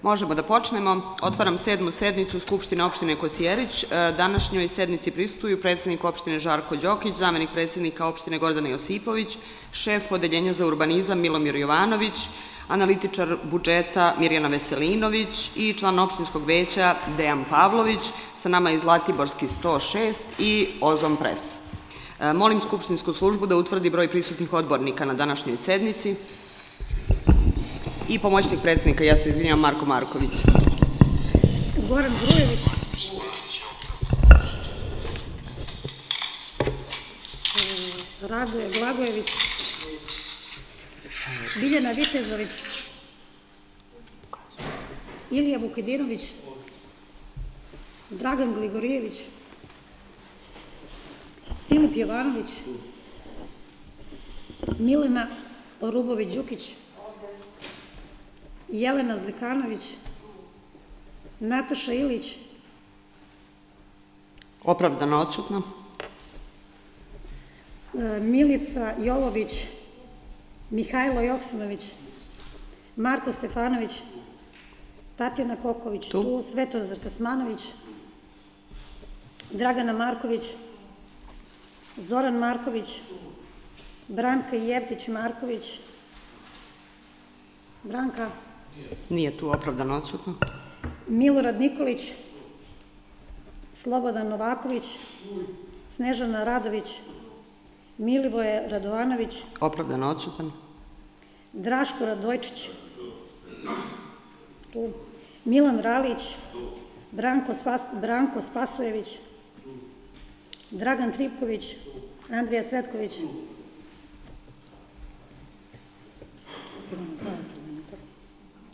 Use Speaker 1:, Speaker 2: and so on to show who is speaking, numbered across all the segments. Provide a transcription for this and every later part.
Speaker 1: Možemo da počnemo. Otvaram 7. sednicu Skupštine opštine Kosjerić. Današnjoj sednici prisustvuju predsednik opštine Žarko Đokić, zamenik predsednika opštine Gordana Josipović, šef odeljenja za urbanizam Milomir Jovanović, analitičar budžeta Mirjana Veselinović i član opštinskog veća Dejan Pavlović. Sa nama je Zlatiborski 106 i Ozon Pres. Molim skupštinsku službu da utvrdi broj prisutnih odbornika na današnjoj sednici. I pomoćnik predsednika, ja se izvinjam, Marko Marković.
Speaker 2: Goran Grujević. Radoje Blagojević. Biljana Vitezović. Ilija Vukidinović. Dragan Gligorijević. Filip Jovanović. Milena Orubović-Đukić. Jelena Zekanović, Nataša Ilić.
Speaker 1: Opravdano odsutna.
Speaker 2: Milica Jovović, Mihajlo Joksimović, Marko Stefanović, Tatjana Koković, tu Svetozar Kasmanović, Dragana Marković, Zoran Marković, Branka Jevtić-Marković. Branka.
Speaker 1: Nije tu, opravdano odsutno.
Speaker 2: Milorad Nikolić, Slobodan Novaković, Snežana Radović, Milivoje Radovanović.
Speaker 1: Opravdano odsutan.
Speaker 2: Draško Radojčić. Tu. Milan Ralić, Branko Spasojević, Dragan Tripković, Andrija Cvetković.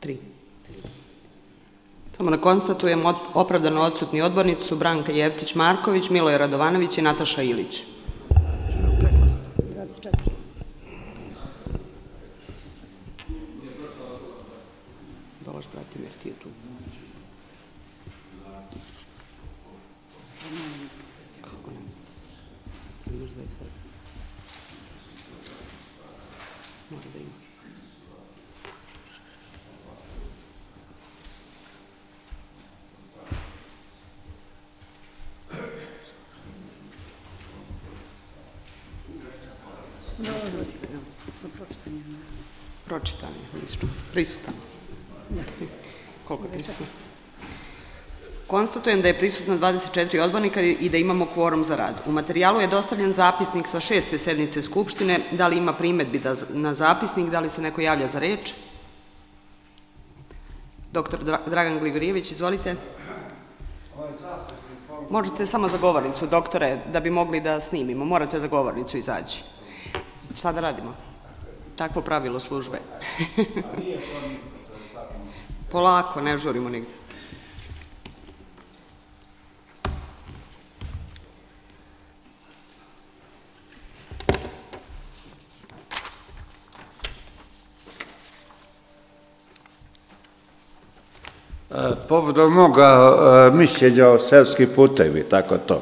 Speaker 1: Tri. Samo da konstatujem, opravdano odsutni odbornici su Branka Jevtić-Marković, Miloje Radovanović i Nataša Ilić.
Speaker 2: 24.
Speaker 1: Dolaš, Bratimir, ti je tu. Kako ne? Imaš da je sad. Mora da imaš. Pročitan je, prisutan. Koliko je prisutan? Konstatujem da je prisutno 24 odbornika i da imamo kvorum za rad. U materijalu je dostavljen zapisnik sa 6. sednice Skupštine. Da li ima primedbi na zapisnik? Da li se neko javlja za reč? Doktor Dragan Gligorijević, izvolite. Možete samo za govornicu, doktore, da bi mogli da snimimo. Morate za govornicu izaći. Šta da radimo? Takvo pravilo službe. Polako, ne žurimo nigde.
Speaker 3: Povodom moga mišljenja o seoskih putevi, tako to.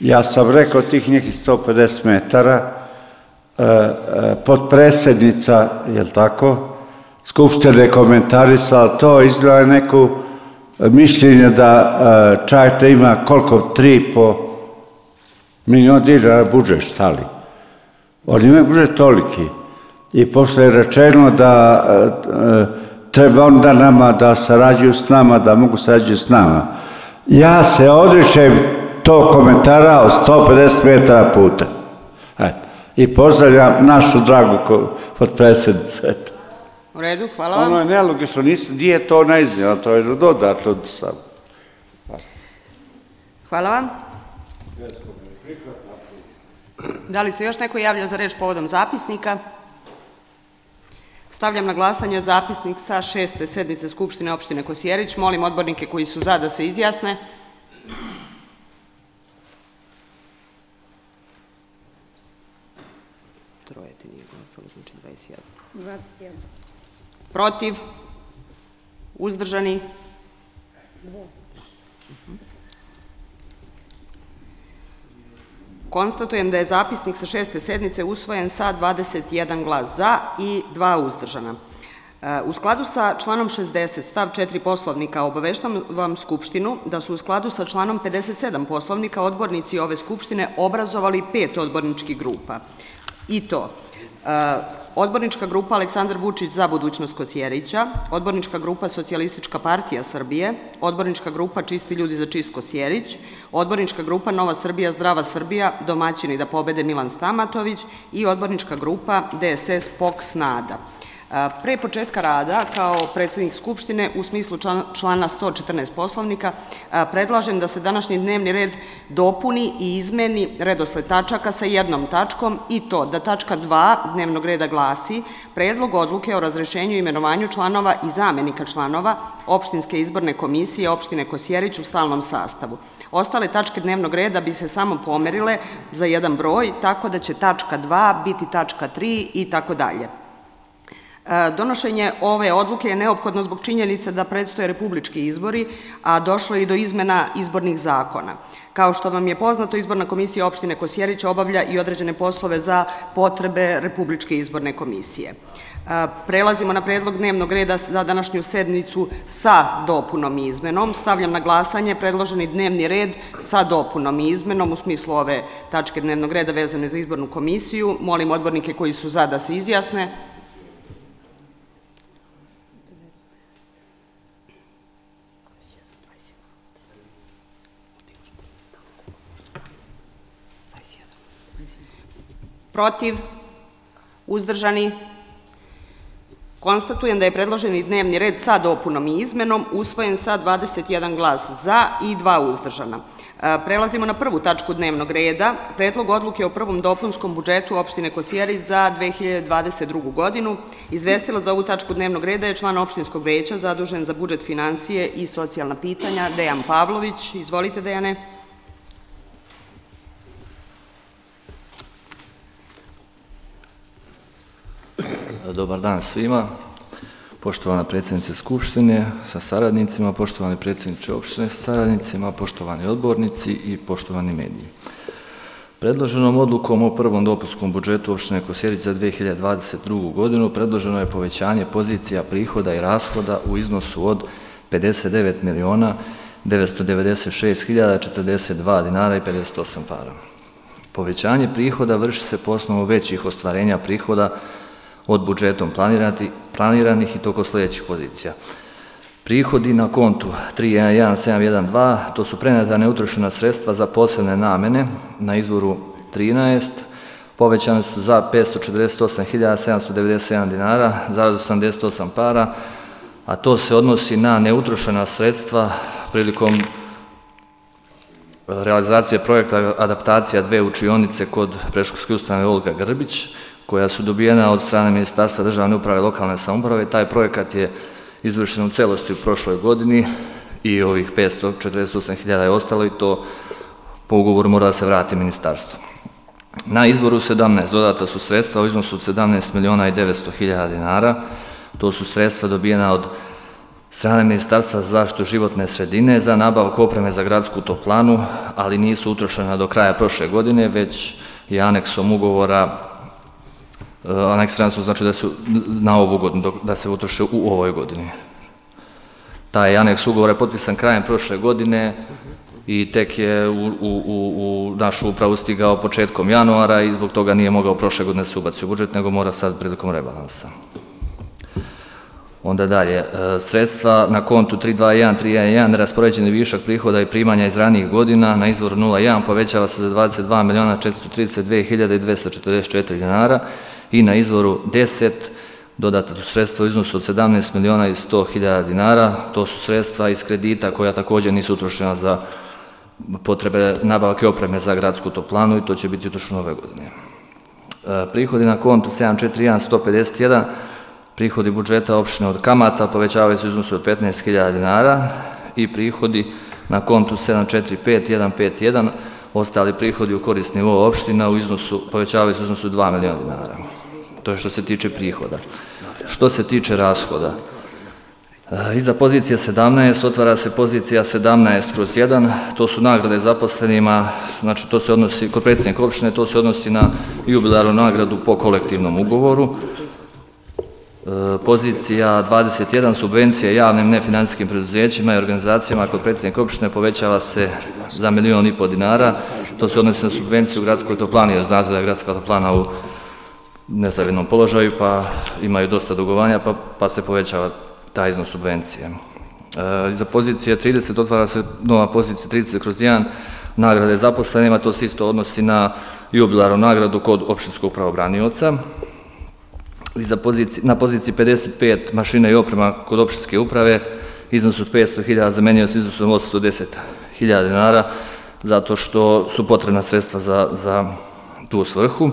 Speaker 3: Ja sam rekao tih nekih 150 metara, podpredsednica, jel tako, Skupštine komentarisala to, izdala neku mišljenje da Čajetina ima koliko, 3,5 miliona dinara budžet, šta li? Oni imaju budžet toliki. I pošto je rečeno da treba onda nama da sarađuju s nama, da mogu sarađuju s nama. Ja se odričem tog komentara od 150 metara puta. Eto. I pozdravljam našu dragu podpredsednicu.
Speaker 1: U redu, hvala vam.
Speaker 3: Ono je nelogično, nije to naiznjela, to je dodatno sam.
Speaker 1: Hvala vam. Da li se još neko javlja za reč povodom zapisnika? Stavljam na glasanje zapisnik sa 6. sednice Skupštine opštine Kosjerić. Molim odbornike koji su za da se izjasne. Troje ti nije glasalo, znači 21.
Speaker 2: 21.
Speaker 1: Protiv? Uzdržani?
Speaker 2: 2.
Speaker 1: Konstatujem da je zapisnik sa 6. sednice usvojen sa 21 glas za i 2 uzdržana. U skladu sa članom 60 stav 4 Poslovnika obaveštavam Skupštinu da su u skladu sa članom 57 Poslovnika odbornici ove Skupštine obrazovali 5 odborničkih grupa. I to odbornička grupa Aleksandar Vučić za budućnost Kosjerića, odbornička grupa Socijalistička partija Srbije, odbornička grupa Čisti ljudi za čist Kosjerić, odbornička grupa Nova Srbija, Zdrava Srbija, domaćini da pobede Milan Stamatović i odbornička grupa DSS POKS NADA. Pre početka rada, kao predsednik Skupštine, u smislu člana 114 Poslovnika, predlažem da se današnji dnevni red dopuni i izmeni redosled tačaka sa jednom tačkom, i to da tačka 2 dnevnog reda glasi Predlog odluke o razrešenju i imenovanju članova i zamenika članova Opštinske izborne komisije opštine Kosjerić u stalnom sastavu. Ostale tačke dnevnog reda bi se samo pomerile za jedan broj, tako da će tačka 2 biti tačka 3 i tako dalje. Donošenje ove odluke je neophodno zbog činjenice da predstoje republički izbori, a došlo je i do izmena izbornih zakona. Kao što vam je poznato, Izborna komisija opštine Kosjerić obavlja i određene poslove za potrebe Republičke izborne komisije. Prelazimo na predlog dnevnog reda za današnju sednicu sa dopunom i izmenom. Stavljam na glasanje predloženi dnevni red sa dopunom i izmenom u smislu ove tačke dnevnog reda vezane za izbornu komisiju. Molim odbornike koji su za da se izjasne. Protiv? Uzdržani? Konstatujem da je predloženi dnevni red sa dopunom i izmenom usvojen sa 21 glas za i 2 uzdržana. Prelazimo na prvu tačku dnevnog reda, Predlog odluke o prvom dopunskom budžetu opštine Kosjerić za 2022. godinu. Izvestilac za ovu tačku dnevnog reda je član opštinskog veća zadužen za budžet, finansije i socijalna pitanja, Dejan Pavlović. Izvolite, Dejane.
Speaker 4: Dobar dan svima, poštovana predsjednice Skupštine sa saradnicima, poštovani predsjedniče opštine sa saradnicima, poštovani odbornici i poštovani mediji. Predloženom odlukom o prvom dopunskom budžetu opštine Kosjerić za 2022. godinu predloženo je povećanje pozicija prihoda i rashoda u iznosu od 59.996.042 dinara i 58 para. Povećanje prihoda vrši se po osnovu većih ostvarenja prihoda od budžetom planiranih i toko sljedećih pozicija. Prihodi na kontu 311712, to su preneta neutrošena sredstva za posebne namene na izvoru 13, povećane su za 548.797 dinara, zarez 88 para, a to se odnosi na neutrošena sredstva prilikom realizacije projekta adaptacija 2 učionice kod predškolske ustanove Olga Grbić, koja su dobijena od strane Ministarstva državne uprave i lokalne samouprave. Taj projekat je izvršen u celosti u prošloj godini i ovih 548.000 je ostalo i to po ugovoru mora da se vrati ministarstvu. Na izvoru 17 dodata su sredstva u iznosu od 17.900.000 dinara. To su sredstva dobijena od strane Ministarstva za zaštitu životne sredine za nabavku opreme za gradsku toplanu, ali nisu utrošena do kraja prošle godine, već je aneksom ugovora aneksirani su, znači da su na ovu godinu, da se utroše u ovoj godini. Taj aneks ugovora je potpisan krajem prošle godine i tek je u našu upravu stigao početkom januara i zbog toga nije mogao prošle godine se ubaci u budžet, nego mora sad prilikom rebalansa. Onda dalje, sredstva na kontu 321311 neraspoređeni višak prihoda i primanja iz ranijih godina na izvoru 01 povećava se za 22.432.244 dinara i na izvoru 10 dodata su sredstva u iznosu od 17.100.000 dinara. To su sredstva iz kredita koja također nisu utrošena za potrebe nabavke opreme za gradsku toplanu i to će biti utrošeno ove godine. Prihodi na kontu 741151 prihodi budžeta opštine od kamata povećavaju se u iznosu od 15.000 dinara i prihodi na kontu 745151 ostali prihodi u korist nivoa opština povećavaju se u iznosu 2 miliona dinara. To je što se tiče prihoda. Što se tiče rashoda, iza pozicije 17 otvara se pozicija 17/1, to su nagrade zaposlenima, znači to se odnosi, kod predsjednika opštine, to se odnosi na jubilarnu nagradu po kolektivnom ugovoru. Pozicija 21, subvencije javnim nefinancijskim preduzećima i organizacijama kod predsjednika opštine povećava se za 1,5 miliona dinara. To se odnosi na subvenciju gradskoj toplani, jer znate da je gradska toplana u nezavidnom položaju, pa imaju dosta dugovanja, pa se povećava taj iznos subvencije. Za pozicije 30 otvara se nova pozicija 30/1, nagrade zaposlenima, to se isto odnosi na jubilarnu nagradu kod opštinskog pravobranioca. Na poziciji 55 mašina i oprema kod opštinske uprave, iznos od 500.000 zamenio se iznosom 810.000 dinara, zato što su potrebna sredstva za tu svrhu.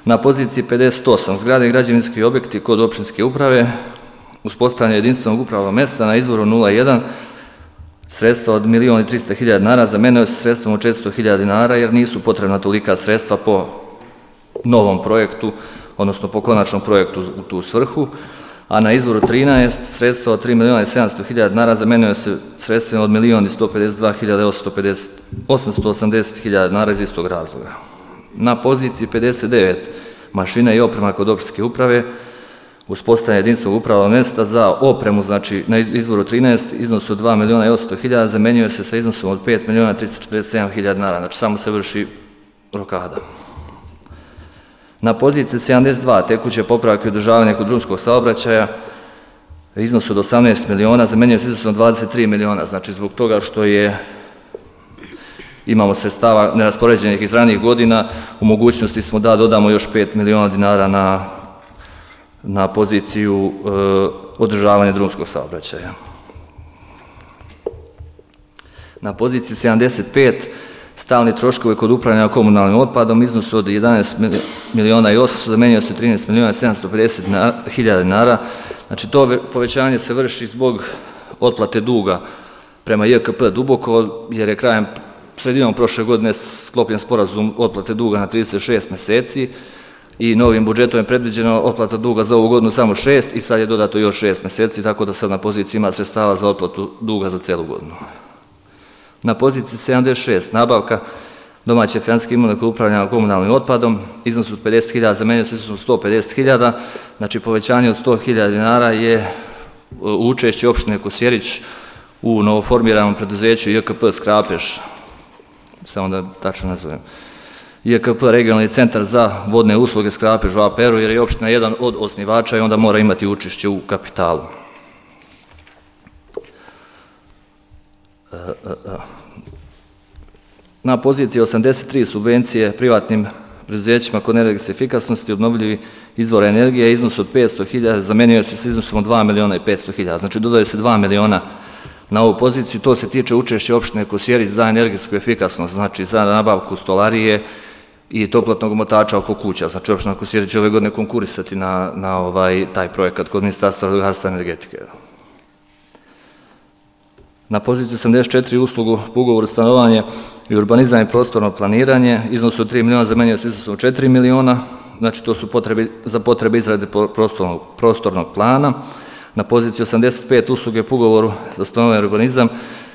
Speaker 4: Na poziciji 58 zgrade i građevinski objekti kod opštinske uprave, uspostavljanje jedinstvenog upravnog mesta na izvoru 01, sredstva od 1.300.000 dinara zamenio se sredstvom od 400.000 dinara, jer nisu potrebna tolika sredstva po novom projektu, odnosno po konačnom projektu u tu svrhu, a na izvoru 13 sredstva od 3.700.000 dinara zamenio se sredstvima od 1.152.880.000 dinara iz istog razloga. Na poziciji 59 mašina i oprema kod opštinske uprave, uspostavljanje jedinstvenog upravnog mesta za opremu, znači na izvoru 13 iznos od 2.800.000 zamenjuje se sa iznosom od 5.347.000 dinara, znači samo se vrši rokada. Na poziciji 72 tekuće popravke i održavanje kod drumskog saobraćaja, iznos od 18 miliona zamenjuje se iznosom od 23 miliona, znači zbog toga što imamo sredstava neraspoređenih iz ranijih godina, u mogućnosti smo da dodamo još 5 miliona dinara na poziciju održavanja drumskog saobraćaja. Na poziciji 75 stalni troškovi kod upravljanja komunalnim otpadom, iznos od 11 miliona i 800 zamenjuje se 13 miliona i 750.000 dinara. Znači to povećanje se vrši zbog otplate duga prema JKP Duboko, jer je sredinom prošle godine sklopljen sporazum otplate duga na 36 meseci i novim budžetom je predviđeno otplata duga za ovu godinu samo 6 i sad je dodato još 6 meseci, tako da sad na poziciji ima sredstava za otplatu duga za celu godinu. Na poziciji 76 nabavka domaće financijske imovine kod upravljanja komunalnim otpadom, iznos od 50.000 zamenjuje se iznosom 150.000, znači povećanje od 100.000 dinara je učešće opštine Kosjerić u novoformiranom preduzeću JKP Skrapež, samo da tačno nazovem. JKP regionalni centar za vodne usluge Skrapež u APR-u, jer je opština jedan od osnivača i onda mora imati učešće u kapitalu. Na poziciji 83 subvencije privatnim preduzećima kod energetske efikasnosti obnovljivi izvora energije, iznos od 500.000 zamenjuje se s iznosom od 2.500.000, znači dodaje se 2 miliona na ovu poziciju. To se tiče učešća opštine Kosjerić za energetsku efikasnost, znači za nabavku stolarije i toplotnog omotača oko kuća. Znači opština Kosjerić će ove godine konkurisati na taj projekat kod Ministarstva rudarstva i energetike. Na poziciji 84 uslugu po ugovoru stanovanje i urbanizam i prostorno planiranje, iznos od 3 miliona zamenjuje se iznosom od 4 miliona, znači to su za potrebe izrade prostornog plana. Na poziciji 85 usluge po ugovoru za stanovanje i urbanizam,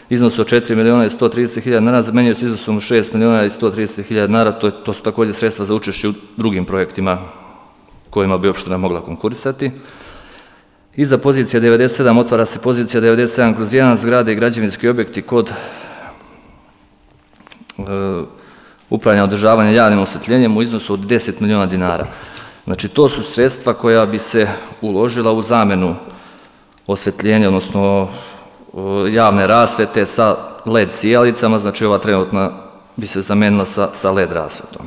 Speaker 4: iznos od 4 miliona i 130.000 dinara zamenjuje se iznosom od 6 miliona i 130.000 dinara, to su također sredstva za učešće u drugim projektima kojima bi opština mogla konkurisati. Iza pozicija 97 otvara se pozicija 97/1 zgrade i građevinski objekti kod upravljanja održavanja javnim osvetljenjem u iznosu od 10 miliona dinara. Znači to su sredstva koja bi se uložila u zamenu osvetljenja, odnosno javne rasvete sa LED sijalicama, znači ova trenutna bi se zamenila sa LED rasvetom.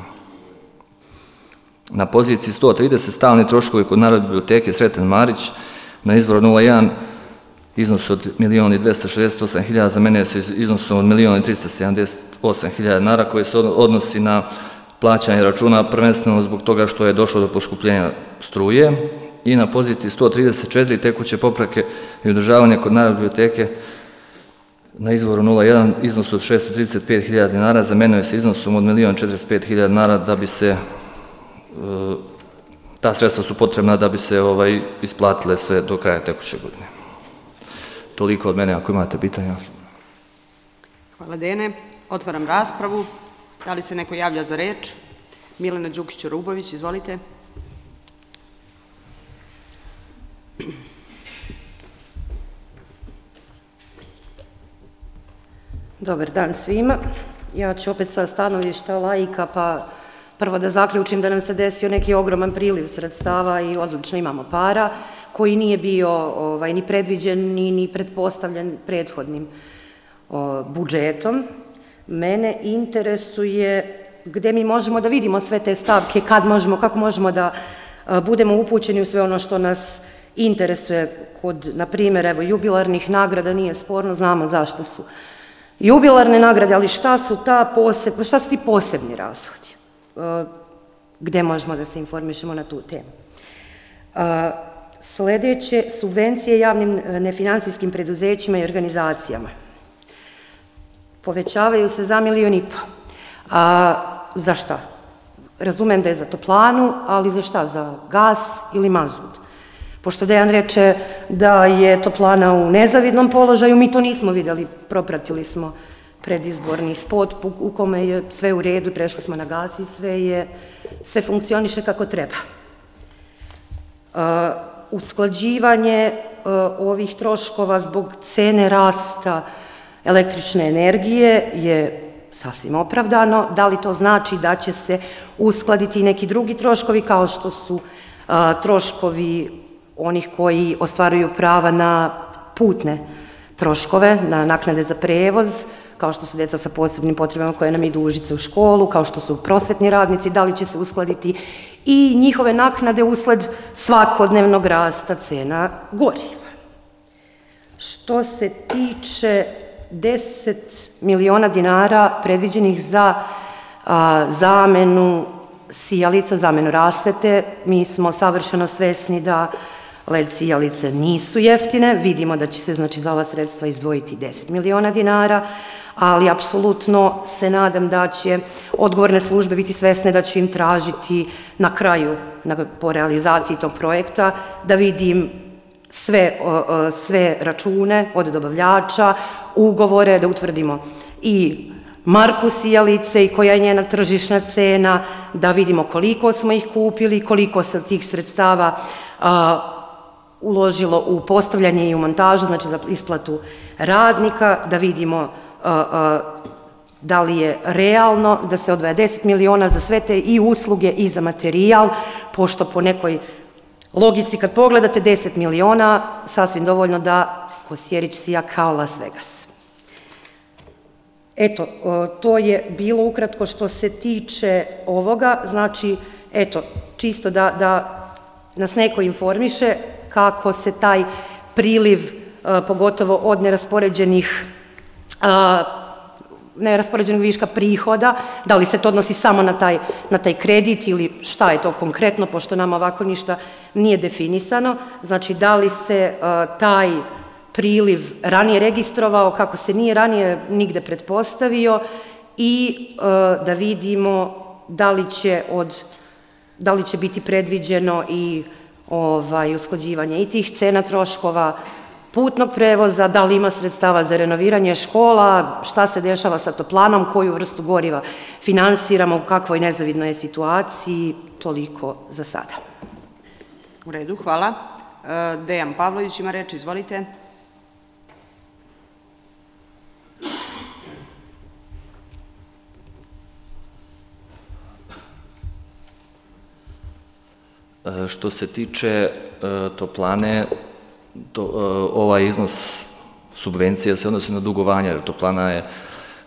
Speaker 4: Na poziciji 130 stalni troškovi kod Narodne biblioteke Sreten Marić, na izvoru 01 iznos od 1.268.000 zamenjuje se iznosom od 1.378.000 dinara koji se odnosi na plaćanje računa prvenstveno zbog toga što je došlo do poskupljenja struje. I na poziciji 134 tekuće popravke i održavanje kod Narodne biblioteke na izvoru 01 iznos od 635.000 dinara zamenjuje se iznosom od 1.045.000 dinara da bi se ta sredstva su potrebna da bi se isplatile sve do kraja tekuće godine. Toliko od mene, ako imate pitanja.
Speaker 1: Hvala Dene. Otvaram raspravu. Da li se neko javlja za reč? Milena Đukić-Orubović, izvolite.
Speaker 5: Dobar dan svima. Ja ću opet sa stanovišta laika, pa prvo da zaključim da nam se desio neki ogroman priliv sredstava i odlično imamo para, koji nije bio ni predviđen, ni pretpostavljen prethodnim budžetom. Mene interesuje gde mi možemo da vidimo sve te stavke, kako možemo da budemo upućeni u sve ono što nas interesuje. Kod, na primjer, evo, jubilarnih nagrada nije sporno, znamo zašto su jubilarne nagrade, ali šta su ti posebni rashodi? Gde možemo da se informišemo na tu temu? Sledeće, subvencije javnim nefinansijskim preduzećima i organizacijama. Povećavaju se za 1,5 miliona. Za šta? Razumem da je za toplanu, ali za šta? Za gas ili mazut? Pošto Dejan reče da je toplana u nezavidnom položaju, mi to nismo videli, propratili smo predizborni spot u kome je sve u redu, prešli smo na gas i sve funkcioniše kako treba. Usklađivanje ovih troškova zbog cene rasta električne energije je sasvim opravdano. Da li to znači da će se uskladiti i neki drugi troškovi kao što su troškovi onih koji ostvaruju prava na putne troškove, na naknade za prevoz, kao što su deca sa posebnim potrebama koje nam idu u Užice u školu, kao što su prosvetni radnici, da li će se uskladiti i njihove naknade usled svakodnevnog rasta cena goriva. Što se tiče 10 miliona dinara predviđenih za zamenu sijalica, zamenu rasvete, mi smo savršeno svesni da LED sijalice nisu jeftine, vidimo da će se znači za ova sredstva izdvojiti 10 miliona dinara, ali apsolutno se nadam da će odgovorne službe biti svesne da će im tražiti na kraju, po realizaciji tog projekta, da vidim sve račune od dobavljača, ugovore, da utvrdimo i marku sijalice i koja je njena tržišna cena, da vidimo koliko smo ih kupili, koliko se tih sredstava uložilo u postavljanje i u montažu, znači za isplatu radnika, da vidimo da li je realno da se odvaja 10 miliona za sve te i usluge i za materijal, pošto po nekoj logici kad pogledate 10 miliona, sasvim dovoljno da Kosjerić sija kao Las Vegas. Eto, to je bilo ukratko što se tiče ovoga, znači, eto, čisto da nas neko informiše kako se taj priliv, pogotovo od neraspoređenih viška prihoda, da li se to odnosi samo na taj kredit ili šta je to konkretno, pošto nam ovako ništa nije definisano, znači da li se taj priliv ranije registrovao, kako se nije ranije nigde pretpostavio i da vidimo da li će biti predviđeno i usklađivanje i tih cena troškova putnog prevoza, da li ima sredstava za renoviranje škola, šta se dešava sa toplanom, koju vrstu goriva finansiramo, u kakvoj nezavidnoj je situaciji, toliko za sada.
Speaker 1: U redu, hvala. Dejan Pavlović ima reč, izvolite.
Speaker 4: Što se tiče toplane, ovaj iznos subvencije se odnosi na dugovanje, jer toplana je,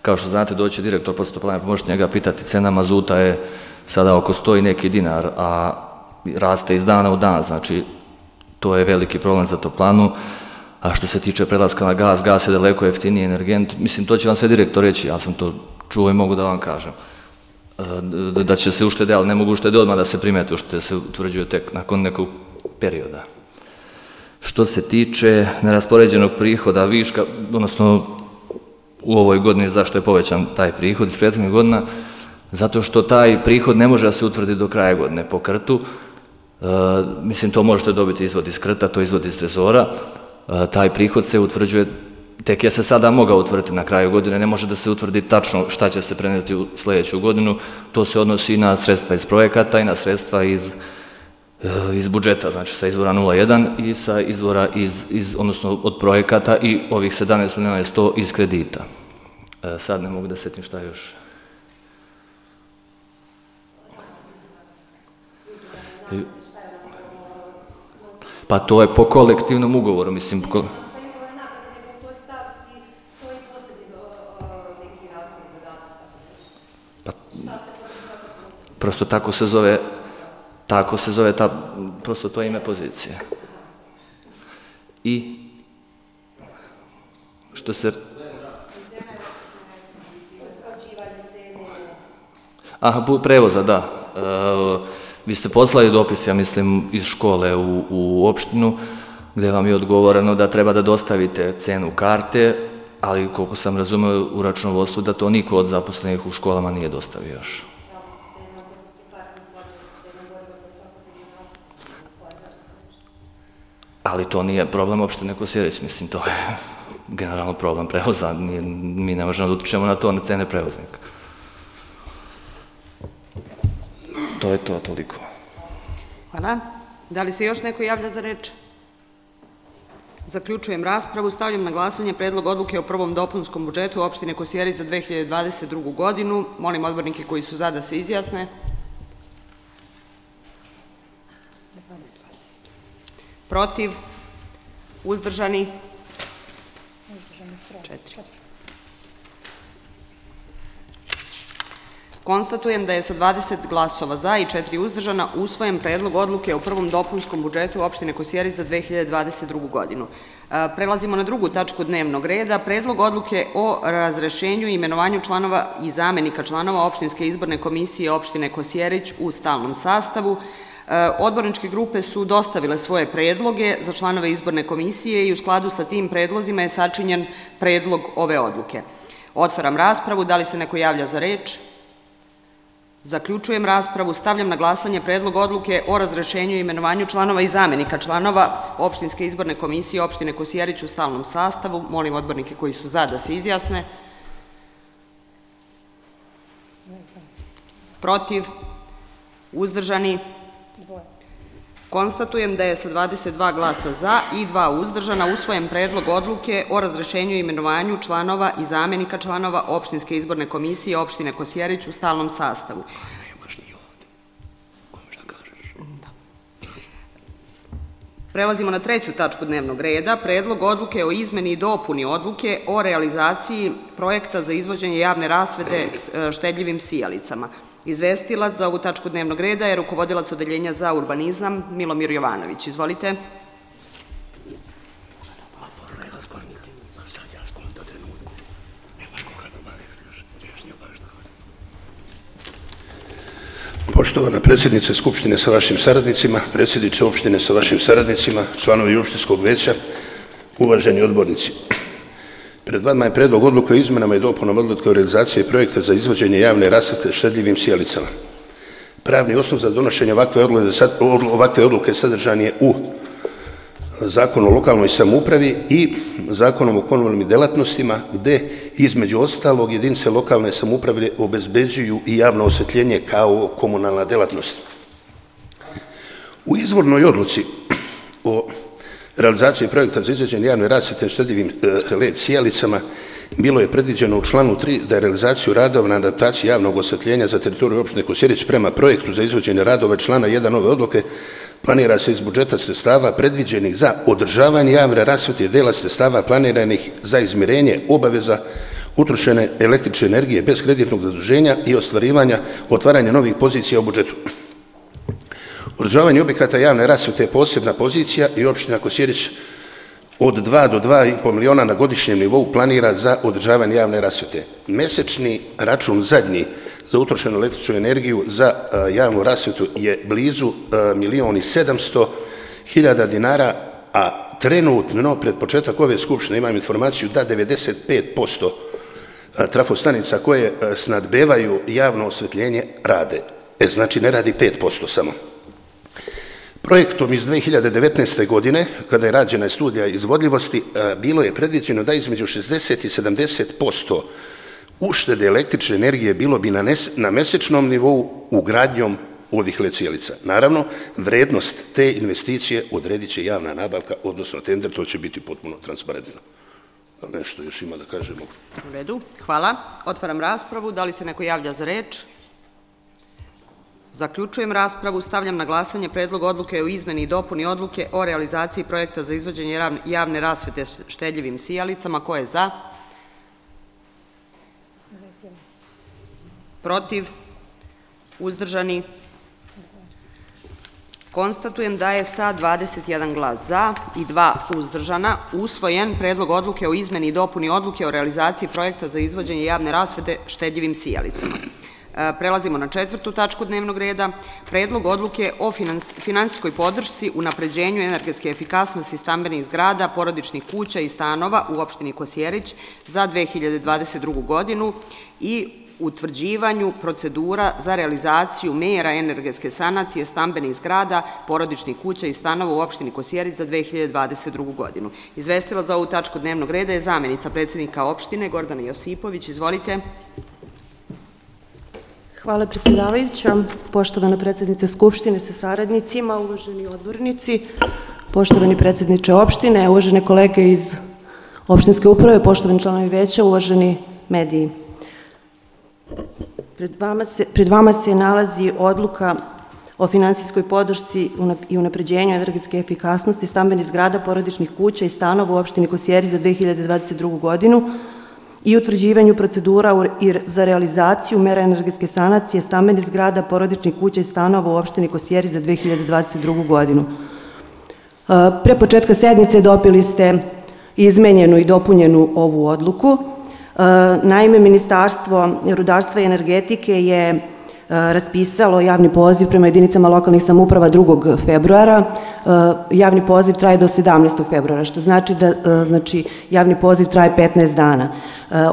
Speaker 4: kao što znate, doći direktor posle toplane, pa možete njega pitati, cena mazuta je sada oko 100 i neki dinar, a raste iz dana u dan, znači to je veliki problem za toplanu. A što se tiče prelaska na gas, gas je daleko jeftiniji energent, mislim, to će vam sve direktor reći, ja sam to čuo i mogu da vam kažem. Da će se uštede, ali ne mogu uštede odmah da se primete, uštede se utvrđuju tek nakon nekog perioda. Što se tiče neraspoređenog prihoda viška, odnosno u ovoj godini zašto je povećan taj prihod iz prethodnih godina, zato što taj prihod ne može da se utvrdi do kraja godine po krtu, mislim to možete dobiti izvod iz krta, to izvod iz trezora, taj prihod se utvrđuje, tek je se sada mogao utvrditi na kraju godine, ne može da se utvrdi tačno šta će se preneti u sledeću godinu, to se odnosi na sredstva iz projekata i na sredstva iz budžeta, znači sa izvora 0,1 i sa izvora odnosno od projekata i ovih 17 miliona je 100 iz kredita. Sad ne mogu da setim šta još. Pa to je po kolektivnom ugovoru, mislim. Pa, prosto tako se zove prosto to je ime pozicije. I što se... Aha, prevoza, da. Vi ste poslali dopis, ja mislim, iz škole u opštinu, gdje vam je odgovoreno da treba da dostavite cenu karte, ali koliko sam razumio u računovodstvu da to niko od zaposlenih u školama nije dostavio još. Ali to nije problem opštine Kosjerić, mislim, to je generalno problem prevoza, mi ne možemo da utičemo na to, na cene prevoznika. To je to, toliko.
Speaker 1: Hvala. Da li se još neko javlja za reč? Zaključujem raspravu. Stavljam na glasanje predlog odluke o prvom dopunskom budžetu opštine Kosjerić za 2022. godinu. Molim odbornike koji su za da se izjasne. Protiv? Uzdržani? 4. Konstatujem da je sa 20 glasova za i 4 uzdržana usvojen predlog odluke o prvom dopunskom budžetu opštine Kosjerić za 2022. godinu. Prelazimo na drugu tačku dnevnog reda. Predlog odluke o razrešenju i imenovanju članova i zamenika članova opštinske izborne komisije opštine Kosjerić u stalnom sastavu. Odborničke grupe su dostavile svoje predloge za članove izborne komisije i u skladu sa tim predlozima je sačinjen predlog ove odluke. Otvaram raspravu. Da li se neko javlja za reč? Zaključujem raspravu. Stavljam na glasanje predlog odluke o razrešenju i imenovanju članova i zamenika članova opštinske izborne komisije opštine Kosjerić u stalnom sastavu. Molim odbornike koji su za da se izjasne. Protiv? Uzdržani? Konstatujem da je sa 22 glasa za i 2 uzdržana usvojen predlog odluke o razrešenju i imenovanju članova i zamenika članova opštinske izborne komisije opštine Kosjerić u stalnom sastavu. Prelazimo na treću tačku dnevnog reda. Predlog odluke o izmeni i dopuni odluke o realizaciji projekta za izvođenje javne rasvete štedljivim sijalicama. Izvestilac za ovu tačku dnevnog reda je rukovodilac Odeljenja za urbanizam Milomir Jovanović. Izvolite.
Speaker 6: Poštovana predsjednice Skupštine sa vašim saradnicima, predsjedniče opštine sa vašim saradnicima, članovi opštinskog veća, uvaženi odbornici. Pred vama je predlog odluke o izmenama i dopunama odluke o realizaciji projekta za izvođenje javne rasvete štedljivim sijalicama. Pravni osnov za donošenje ovakve odluke sadržan je u Zakonu o lokalnoj samoupravi i Zakonom o komunalnim delatnostima, gde između ostalog jedinice lokalne samouprave obezbeđuju i javno osvetljenje kao komunalna delatnost. U izvornoj odluci o realizaciji projekta za izvođenje javne rasvete štedljivim LED sijalicama bilo je predviđeno u članu 3 da je realizaciju radova na adaptaciji javnog osvetljenja za teritoriju opštine Kosjerić prema projektu za izvođenje radova člana 1 ove odluke planira se iz budžeta sredstava predviđenih za održavanje javne rasvete i dela sredstava planiranih za izmirenje obaveza utrošene električne energije bez kreditnog zaduženja i otvaranja novih pozicija u budžetu. Održavanje objekata javne rasvete je posebna pozicija i opština Kosjerić od 2 do 2,5 miliona na godišnjem nivou planira za održavanje javne rasvete. Mesečni račun zadnji za utrošenu električnu energiju za javnu rasvetu je blizu 1.700.000 dinara, a trenutno pred početak ove skupštine imam informaciju da 95% trafostanica koje snadbevaju javno osvetljenje rade. Znači ne radi 5% samo. Projektom iz 2019. godine, kada je rađena studija izvodljivosti, bilo je predviđeno da između 60 i 70% uštede električne energije bilo bi na mesečnom nivou ugradnjom ovih LED sijalica. Naravno, vrednost te investicije odredit će javna nabavka, odnosno tender, to će biti potpuno transparentno. nešto još ima da kažemo.
Speaker 1: U redu, hvala. Otvaram raspravu. Da li se neko javlja za reč? Zaključujem raspravu. Stavljam na glasanje Predlog odluke o izmeni i dopuni odluke o realizaciji projekta za izvođenje javne rasvete štedljivim sijalicama. Ko je za? Protiv? Uzdržani? Konstatujem da je sa 21 glas za i 2 uzdržana usvojen Predlog odluke o izmeni i dopuni odluke o realizaciji projekta za izvođenje javne rasvete štedljivim sijalicama. Prelazimo na 4. tačku dnevnog reda. Predlog odluke o finansijskoj podršci unapređenju energetske efikasnosti stambenih zgrada, porodičnih kuća i stanova u opštini Kosjerić za 2022. godinu i utvrđivanju procedura za realizaciju mera energetske sanacije stambenih zgrada, porodičnih kuća i stanova u opštini Kosjerić za 2022. godinu. Izvestila za ovu tačku dnevnog reda je zamenica predsednika opštine Gordana Josipović. Izvolite.
Speaker 5: Hvala predsjedavajuća, poštovana predsjednice Skupštine sa saradnicima, uvaženi odbornici, poštovani predsjedniče opštine, uvažene kolege iz opštinske uprave, poštovani članovi veća, uvaženi mediji. Pred vama se nalazi odluka o finansijskoj podršci i unapređenju energetske efikasnosti stambenih zgrada, porodičnih kuća i stanova u opštini Kosjerić za 2022. godinu i utvrđivanju procedura za realizaciju mera energetske sanacije stambenih zgrada, porodičnih kuća i stanova u opštini Kosjerić za 2022. godinu. Pre početka sednice dobili ste izmenjenu i dopunjenu ovu odluku. Naime, Ministarstvo rudarstva i energetike je raspisalo javni poziv prema jedinicama lokalnih samouprava 2. februara. Javni poziv traje do 17. februara, što znači da javni poziv traje 15 dana.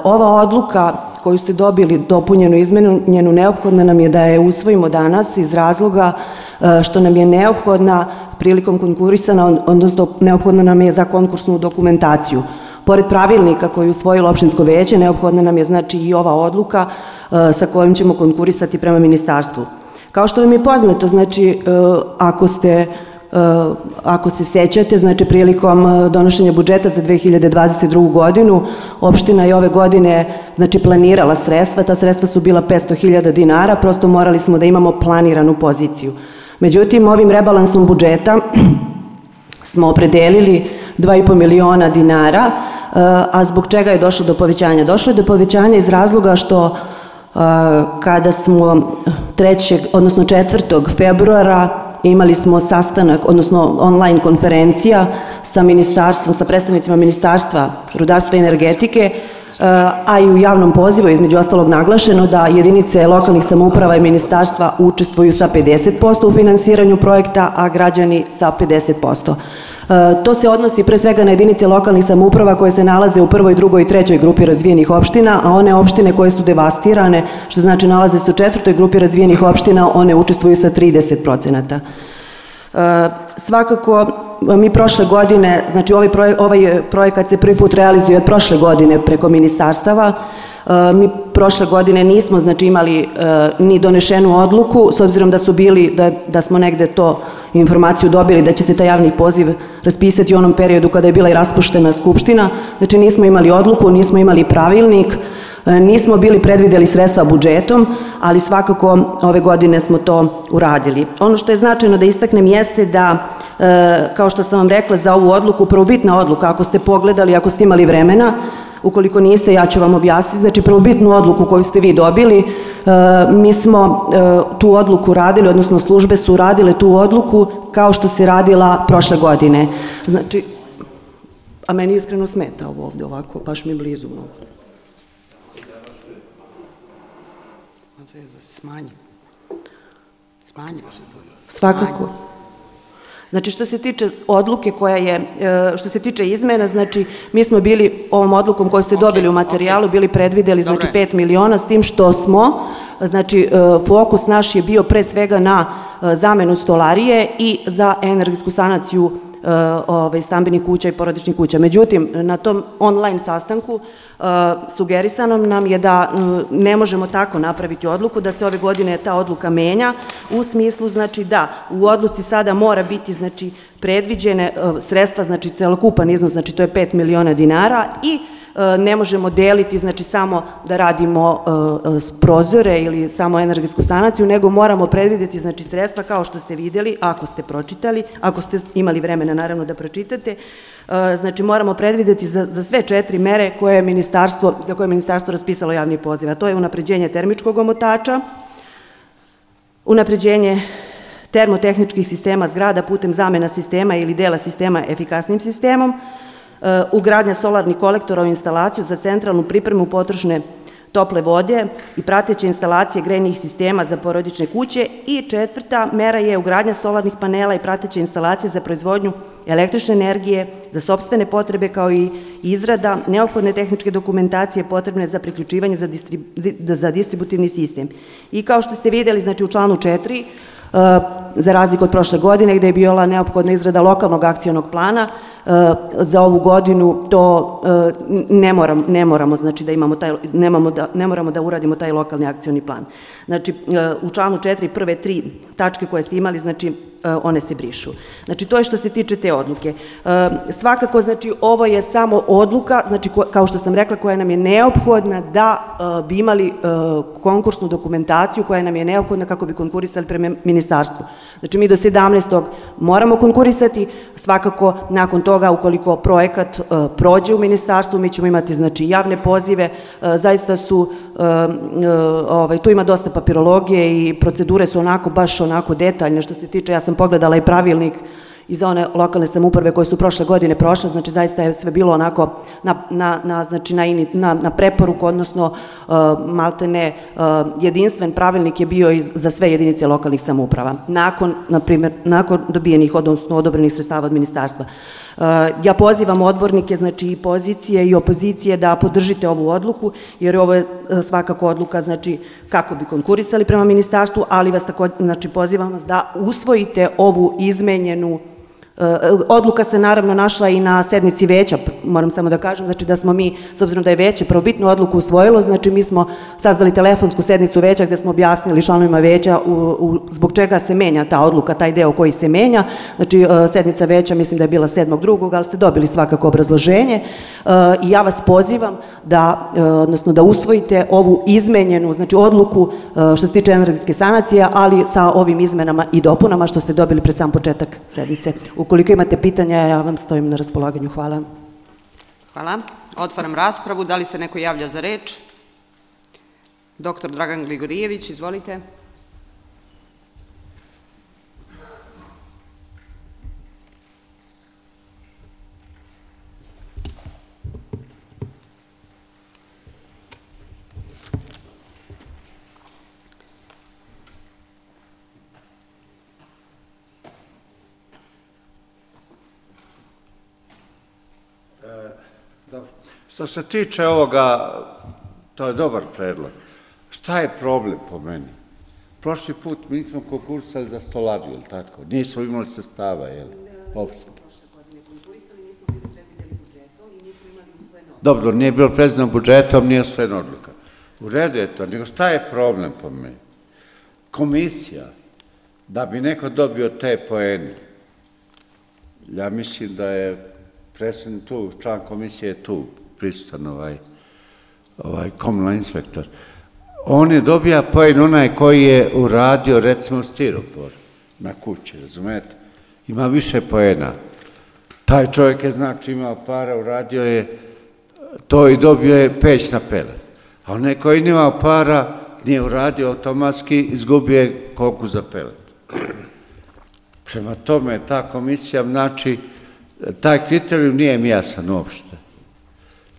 Speaker 5: Ova odluka koju ste dobili dopunjenu i izmenjenu neophodna nam je da je usvojimo danas iz razloga što nam je neophodna prilikom konkurisana, odnosno neophodna nam je za konkursnu dokumentaciju. Pored pravilnika koji je usvojilo opštinsko veće, neophodna nam je znači i ova odluka sa kojom ćemo konkurisati prema ministarstvu. Kao što vam je poznato, znači ako se sećate, znači prilikom donošenja budžeta za 2022. godinu, opština je ove godine znači planirala sredstva, ta sredstva su bila 500.000 dinara, prosto morali smo da imamo planiranu poziciju. Međutim, ovim rebalansom budžeta smo opredelili 2,5 miliona dinara, a zbog čega je došlo do povećanja? Došlo je do povećanja iz razloga što kada smo 4. februara imali smo sastanak, odnosno online konferencija sa ministarstvom, sa predstavnicima Ministarstva rudarstva i energetike, a i u javnom pozivu između ostalog naglašeno da jedinice lokalnih samouprava i ministarstva učestvuju sa 50% u finansiranju projekta, a građani sa 50%. To se odnosi pre svega na jedinice lokalnih samouprava koje se nalaze u 1., 2. i 3. grupi razvijenih opština, a one opštine koje su devastirane, što znači nalaze se u 4. grupi razvijenih opština, one učestvuju sa 30%. Svakako, mi prošle godine, znači ovaj projekat se prvi put realizuje od prošle godine preko ministarstava. Mi prošle godine nismo znači imali ni donešenu odluku, s obzirom da su bili, da smo negde to informaciju dobili da će se taj javni poziv raspisati u onom periodu kada je bila i raspuštena Skupština. Znači nismo imali odluku, nismo imali pravilnik, nismo bili predvideli sredstva budžetom, ali svakako ove godine smo to uradili. Ono što je značajno da istaknem jeste da, kao što sam vam rekla za ovu odluku, prvobitna odluka, ako ste pogledali, ako ste imali vremena, ukoliko niste, ja ću vam objasniti, znači prvobitnu odluku koju ste vi dobili, mi smo tu odluku radili, odnosno službe su radile tu odluku kao što se radila prošle godine. Znači, a meni iskreno smeta ovo ovde ovako, baš mi blizu.
Speaker 1: Smanji.
Speaker 5: Svakako. Znači, što se tiče odluke koja je, što se tiče izmena, znači, mi smo bili ovom odlukom koju ste dobili u materijalu, bili predvideli, znači, 5 miliona, s tim što smo, znači, fokus naš je bio pre svega na zamenu stolarije i za energetsku sanaciju stambenih kuća i porodičnih kuća. Međutim, na tom online sastanku sugerisano nam je da ne možemo tako napraviti odluku, da se ove godine ta odluka menja, u smislu, znači, da u odluci sada mora biti, znači, predviđene sredstva, znači, celokupan iznos, znači, to je 5 miliona dinara i ne možemo deliti, znači samo da radimo prozore ili samo energetsku sanaciju, nego moramo predvidjeti, znači, sredstva kao što ste vidjeli, ako ste pročitali, ako ste imali vremena naravno da pročitate, znači moramo predvidjeti za sve 4 mere za koje je ministarstvo raspisalo javni poziv, a to je unapređenje termičkog omotača, unapređenje termotehničkih sistema zgrada putem zamena sistema ili dela sistema efikasnim sistemom, ugradnja solarnih kolektora u instalaciju za centralnu pripremu potrošne tople vode i prateće instalacije grejnih sistema za porodične kuće i 4. mera je ugradnja solarnih panela i prateće instalacije za proizvodnju električne energije za sopstvene potrebe kao i izrada neophodne tehničke dokumentacije potrebne za priključivanje za distributivni sistem. I kao što ste vidjeli, znači u članu 4, za razliku od prošle godine gde je bila neophodna izrada lokalnog akcionog plana, za ovu godinu to ne moramo, znači da imamo taj, ne moramo da uradimo taj lokalni akcioni plan. Znači u članu 4 prve 3 tačke koje ste imali, znači one se brišu. Znači to je što se tiče te odluke. Svakako, znači ovo je samo odluka, znači kao što sam rekla, koja nam je neophodna da bi imali konkursnu dokumentaciju koja nam je neophodna kako bi konkurisali prema ministarstvu. Znači mi do 17. moramo konkurisati, svakako nakon toga ukoliko projekat prođe u ministarstvu mi ćemo imati, znači, javne pozive, zaista su, tu ima dosta papirologije i procedure su baš onako detaljne što se tiče, ja sam pogledala i pravilnik iz one lokalne samouprave koje su prošle godine prošle, znači zaista je sve bilo onako na preporuku, odnosno maltene jedinstven pravilnik je bio za sve jedinice lokalnih samouprava, nakon dobijenih, odnosno odobrenih sredstava od ministarstva. Ja pozivam odbornike, znači i pozicije i opozicije da podržite ovu odluku, jer ovo je svakako odluka, znači, kako bi konkurisali prema ministarstvu, ali vas tako, znači, pozivam vas da usvojite ovu izmenjenu. Odluka se naravno našla i na sednici veća, moram samo da kažem, znači da smo mi, s obzirom da je veće prvobitnu odluku usvojilo, znači mi smo sazvali telefonsku sednicu veća gde smo objasnili članovima veća zbog čega se menja ta odluka, taj deo koji se menja, znači sednica veća mislim da je bila 7.2. ali ste dobili svakako obrazloženje i ja vas pozivam da, odnosno da usvojite ovu izmenjenu, znači odluku što se tiče energetske sanacije, ali sa ovim izmenama i dopunama što ste dobili pre sam početak sednice. Ukoliko imate pitanja, ja vam stojim na raspolaganju. Hvala.
Speaker 1: Hvala. Otvaram raspravu. Da li se neko javlja za reč? Doktor Dragan Gligorijević, izvolite.
Speaker 3: Što se tiče ovoga, to je dobar predlog. Šta je problem po meni? Prošli put mi smo konkursali za stolariju, ili tako? Nismo imali sredstava, jel? Dobro, nije bilo predviđeno budžetom, nije usvojena odluka. U redu je to, nego šta je problem po meni? Komisija, da bi neko dobio te poene, ja mislim da je predsednik tu, član komisije je tu, prisutan ovaj komunalni inspektor. On je dobija poen onaj koji je uradio, recimo, stiropor na kući, razumete? Ima više poena. Taj čovjek je, znači, imao para, uradio je to i dobio je peć na pelet. A onaj koji nije imao para, nije uradio automatski, izgubio je konkurs za pelet. Prema tome, ta komisija, znači, taj kriterijum nije mi jasan uopšte.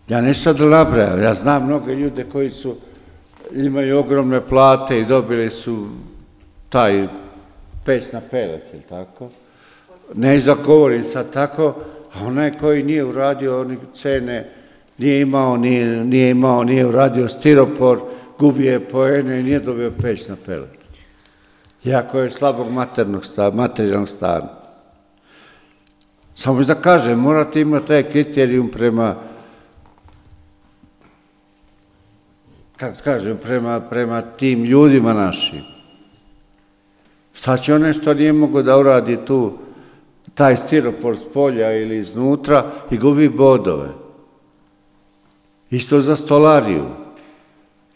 Speaker 3: Ja nešto da nabrajam, ja znam mnogo ljude koji su, imaju ogromne plate i dobili su taj peć na pelet, ili tako? Neću da govorim sad tako, a onaj koji nije uradio one cene, nije uradio stiropor, gubio je poene i nije dobio peć na pelet. Jako je slabog materijalnog stana. Samo da kažem, morate imati taj kriterijum prema, kako kažem, prema tim ljudima našim. Šta će one što nije mogo da uradi tu, taj stiropor s polja ili iznutra i gubi bodove? Isto za stolariju.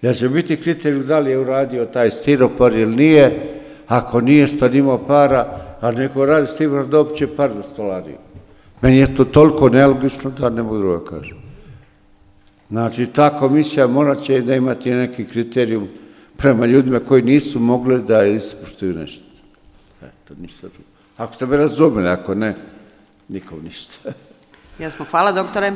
Speaker 3: Jer će biti kriterijum da li je uradio taj stiropor ili nije. Ako nije što nimao para, a neko radi stiropor, dobit će par za stolariju. Meni je to toliko nelogično da ne mogu drugo kažem. Znači, ta komisija morat će da imati neki kriterijum prema ljudima koji nisu mogli da ispoštuju nešto. Eto, ništa drugo. Ako ste me razumeli, ako ne, nikom ništa.
Speaker 1: Jesmo, hvala doktore.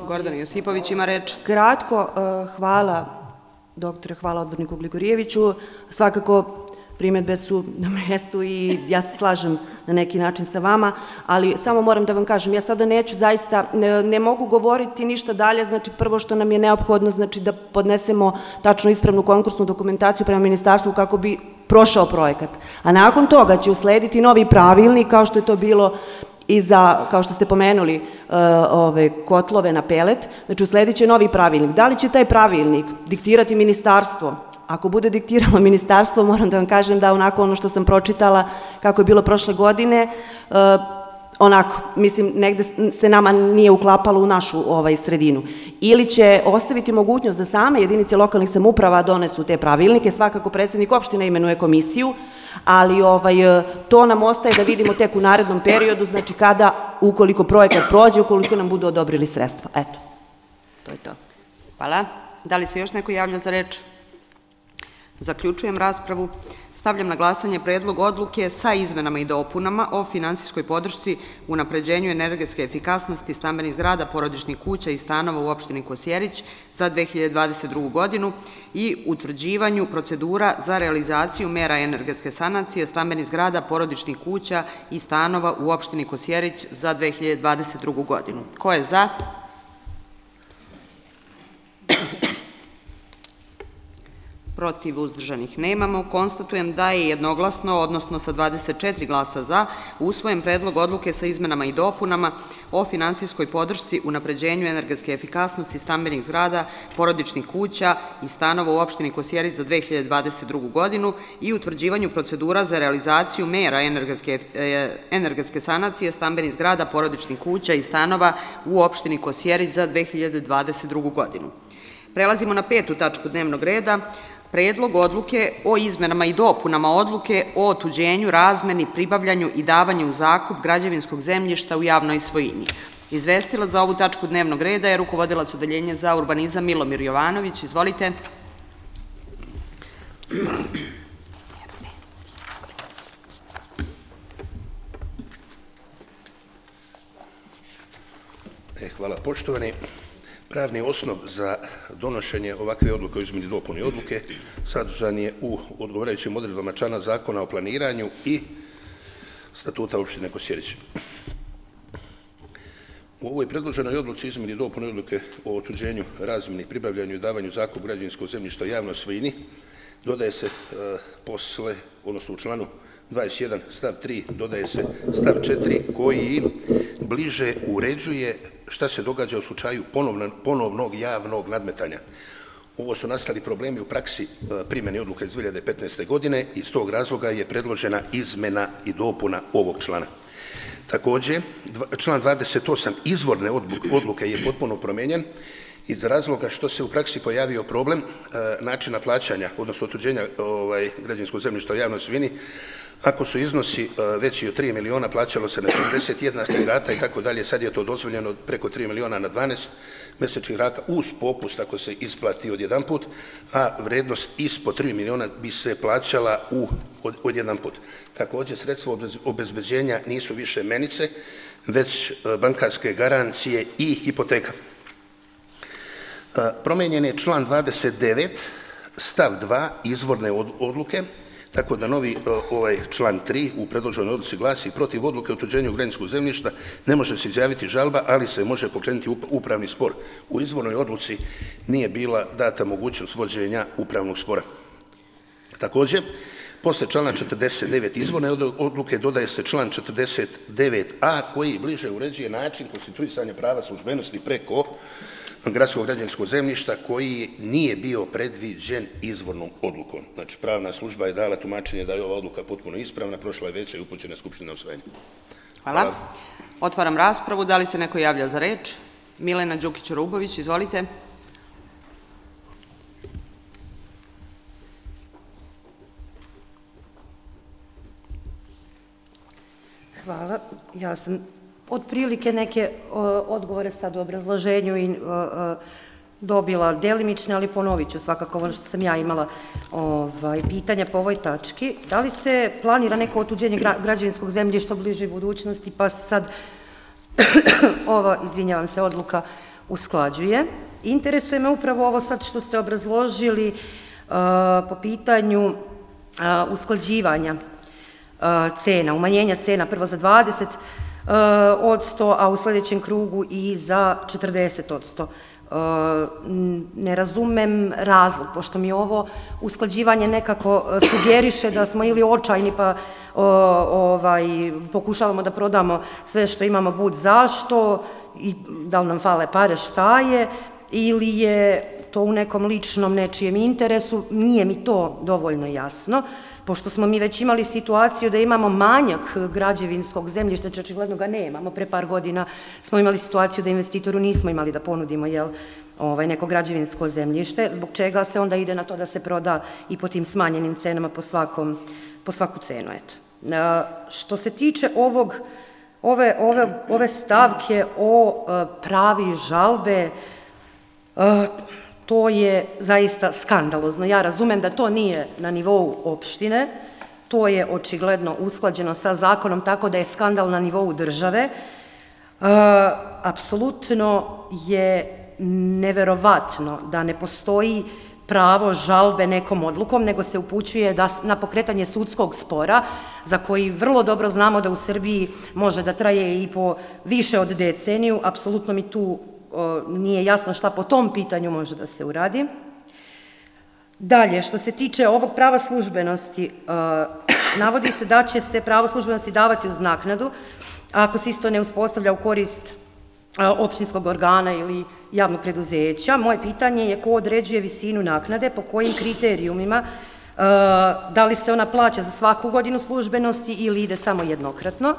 Speaker 1: Gordana Josipović ima reč.
Speaker 5: Kratko, hvala doktore, hvala odborniku Gligorijeviću. Svakako primjedbe su na mjestu i ja se slažem na neki način sa vama, ali samo moram da vam kažem, ja sada neću zaista, ne mogu govoriti ništa dalje, znači prvo što nam je neophodno, znači da podnesemo tačno ispravnu konkursnu dokumentaciju prema ministarstvu kako bi prošao projekat. A nakon toga će uslediti novi pravilnik, kao što je to bilo i za, kao što ste pomenuli, kotlove na pelet, znači usledit će novi pravilnik. Da li će taj pravilnik diktirati ministarstvo? Ako bude diktiralo ministarstvo, moram da vam kažem da onako ono što sam pročitala kako je bilo prošle godine, onako, mislim, negde se nama nije uklapalo u našu sredinu. Ili će ostaviti mogućnost da same jedinice lokalnih samouprava donesu te pravilnike, svakako predsjednik opštine imenuje komisiju, ali to nam ostaje da vidimo tek u narednom periodu, znači kada, ukoliko projekat prođe, ukoliko nam budu odobrili sredstva. Eto, to je to.
Speaker 1: Hvala. Da li se još neko javlja za reč? Zaključujem raspravu. Stavljam na glasanje predlog odluke sa izmenama i dopunama o finansijskoj podršci u unapređenju energetske efikasnosti stambenih zgrada, porodičnih kuća i stanova u opštini Kosjerić za 2022. godinu i utvrđivanju procedura za realizaciju mera energetske sanacije stambenih zgrada, porodičnih kuća i stanova u opštini Kosjerić za 2022. godinu. Ko je za? Protiv, uzdržanih nemamo. Konstatujem da je jednoglasno, odnosno sa 24 glasa za, usvojen predlog odluke sa izmenama i dopunama o finansijskoj podršci unapređenju energetske efikasnosti stambenih zgrada, porodičnih kuća i stanova u opštini Kosjerić za 2022. godinu i utvrđivanju procedura za realizaciju mera energetske sanacije stambenih zgrada, porodičnih kuća i stanova u opštini Kosjerić za 2022. godinu. Prelazimo na 5. tačku dnevnog reda. Predlog odluke o izmenama i dopunama odluke o otuđenju, razmeni, pribavljanju i davanju u zakup građevinskog zemljišta u javnoj svojini. Izvestilac za ovu tačku dnevnog reda je rukovodilac Odeljenja za urbanizam Milomir Jovanović. Izvolite.
Speaker 6: Hvala, poštovani. Pravni osnov za donošenje ovakve odluke o izmeni i dopuni odluke sadržan je u odgovarajućim odredbama člana Zakona o planiranju i Statuta opštine Kosjerić. U ovoj predloženoj odluci izmeni i dopuni odluke o otuđenju, razmeni, pribavljanju i davanju u zakup građevinskog zemljišta u javnoj svojini dodaje se posle, odnosno u članu 21 stav 3 dodaje se stav 4 koji bliže uređuje šta se događa u slučaju ponovnog javnog nadmetanja. Ovo su nastali problemi u praksi primjene odluke iz 2015. godine i iz tog razloga je predložena izmena i dopuna ovog člana. Također, član 28 izvorne odluke je potpuno promenjen iz razloga što se u praksi pojavio problem načina plaćanja, odnosno otuđenja građevinskog zemljišta u javnoj svojini. Ako su iznosi veći od 3 miliona, plaćalo se na 41 rata i tako dalje, sad je to dozvoljeno preko 3 miliona na 12 mesečnih rata uz popust ako se isplati od jedan put, a vrednost ispod 3 miliona bi se plaćala od jedan put. Također, sredstva obezbeđenja nisu više menice, već bankarske garancije i hipoteka. Promenjen je član 29, stav 2 izvorne odluke, tako da novi član 3 u predloženoj odluci glasi: protiv odluke o otuđenju građevinskog zemljišta ne može se izjaviti žalba, ali se može pokrenuti upravni spor. U izvornoj odluci nije bila data mogućnost vođenja upravnog spora. Također, posle člana 49 izvorne odluke dodaje se član 49a koji bliže uređuje način konstituisanja prava službenosti preko gradskog građevinskog zemljišta koji nije bio predviđen izvornom odlukom. Znači, pravna služba je dala tumačenje da je ova odluka potpuno ispravna, prošla je veća i upućena Skupština na usvajanje.
Speaker 1: Hvala. Otvaram raspravu. Da li se neko javlja za reč? Milena Đukić-Rubović, izvolite.
Speaker 5: Hvala. Ja sam otprilike neke odgovore sad u obrazloženju i dobila delimične, ali ponovit ću svakako ono što sam ja imala pitanja po ovoj tački. Da li se planira neko otuđenje građevinskog zemljišta u bližoj budućnosti, pa se sad ova, izvinjavam se, odluka usklađuje? Interesuje me upravo ovo sad što ste obrazložili po pitanju usklađivanja cena, umanjenja cena prvo za 20%, a u sljedećem krugu i za 40%. Ne razumem razlog, pošto mi ovo usklađivanje nekako sugeriše da smo ili očajni pa pokušavamo da prodamo sve što imamo bud zašto i da li nam fale pare, šta je, ili je to u nekom ličnom nečijem interesu, nije mi to dovoljno jasno, pošto smo mi već imali situaciju da imamo manjak građevinskog zemljišta, očigledno ga nemamo. Pre par godina smo imali situaciju da investitoru nismo imali da ponudimo neko građevinsko zemljište, zbog čega se onda ide na to da se proda i po tim smanjenim cenama po svaku cenu. Što se tiče ove stavke o pravi žalbe, to je zaista skandalozno. Ja razumem da to nije na nivou opštine, to je očigledno usklađeno sa zakonom, tako da je skandal na nivou države. Apsolutno je neverovatno da ne postoji pravo žalbe nekom odlukom, nego se upućuje na pokretanje sudskog spora, za koji vrlo dobro znamo da u Srbiji može da traje i po više od deceniju. Apsolutno mi tu nije jasno šta po tom pitanju može da se uradi. Dalje, što se tiče ovog prava službenosti, navodi se da će se pravo službenosti davati uz naknadu, ako se isto ne uspostavlja u korist opštinskog organa ili javnog preduzeća. Moje pitanje je ko određuje visinu naknade, po kojim kriterijumima, da li se ona plaća za svaku godinu službenosti ili ide samo jednokratno.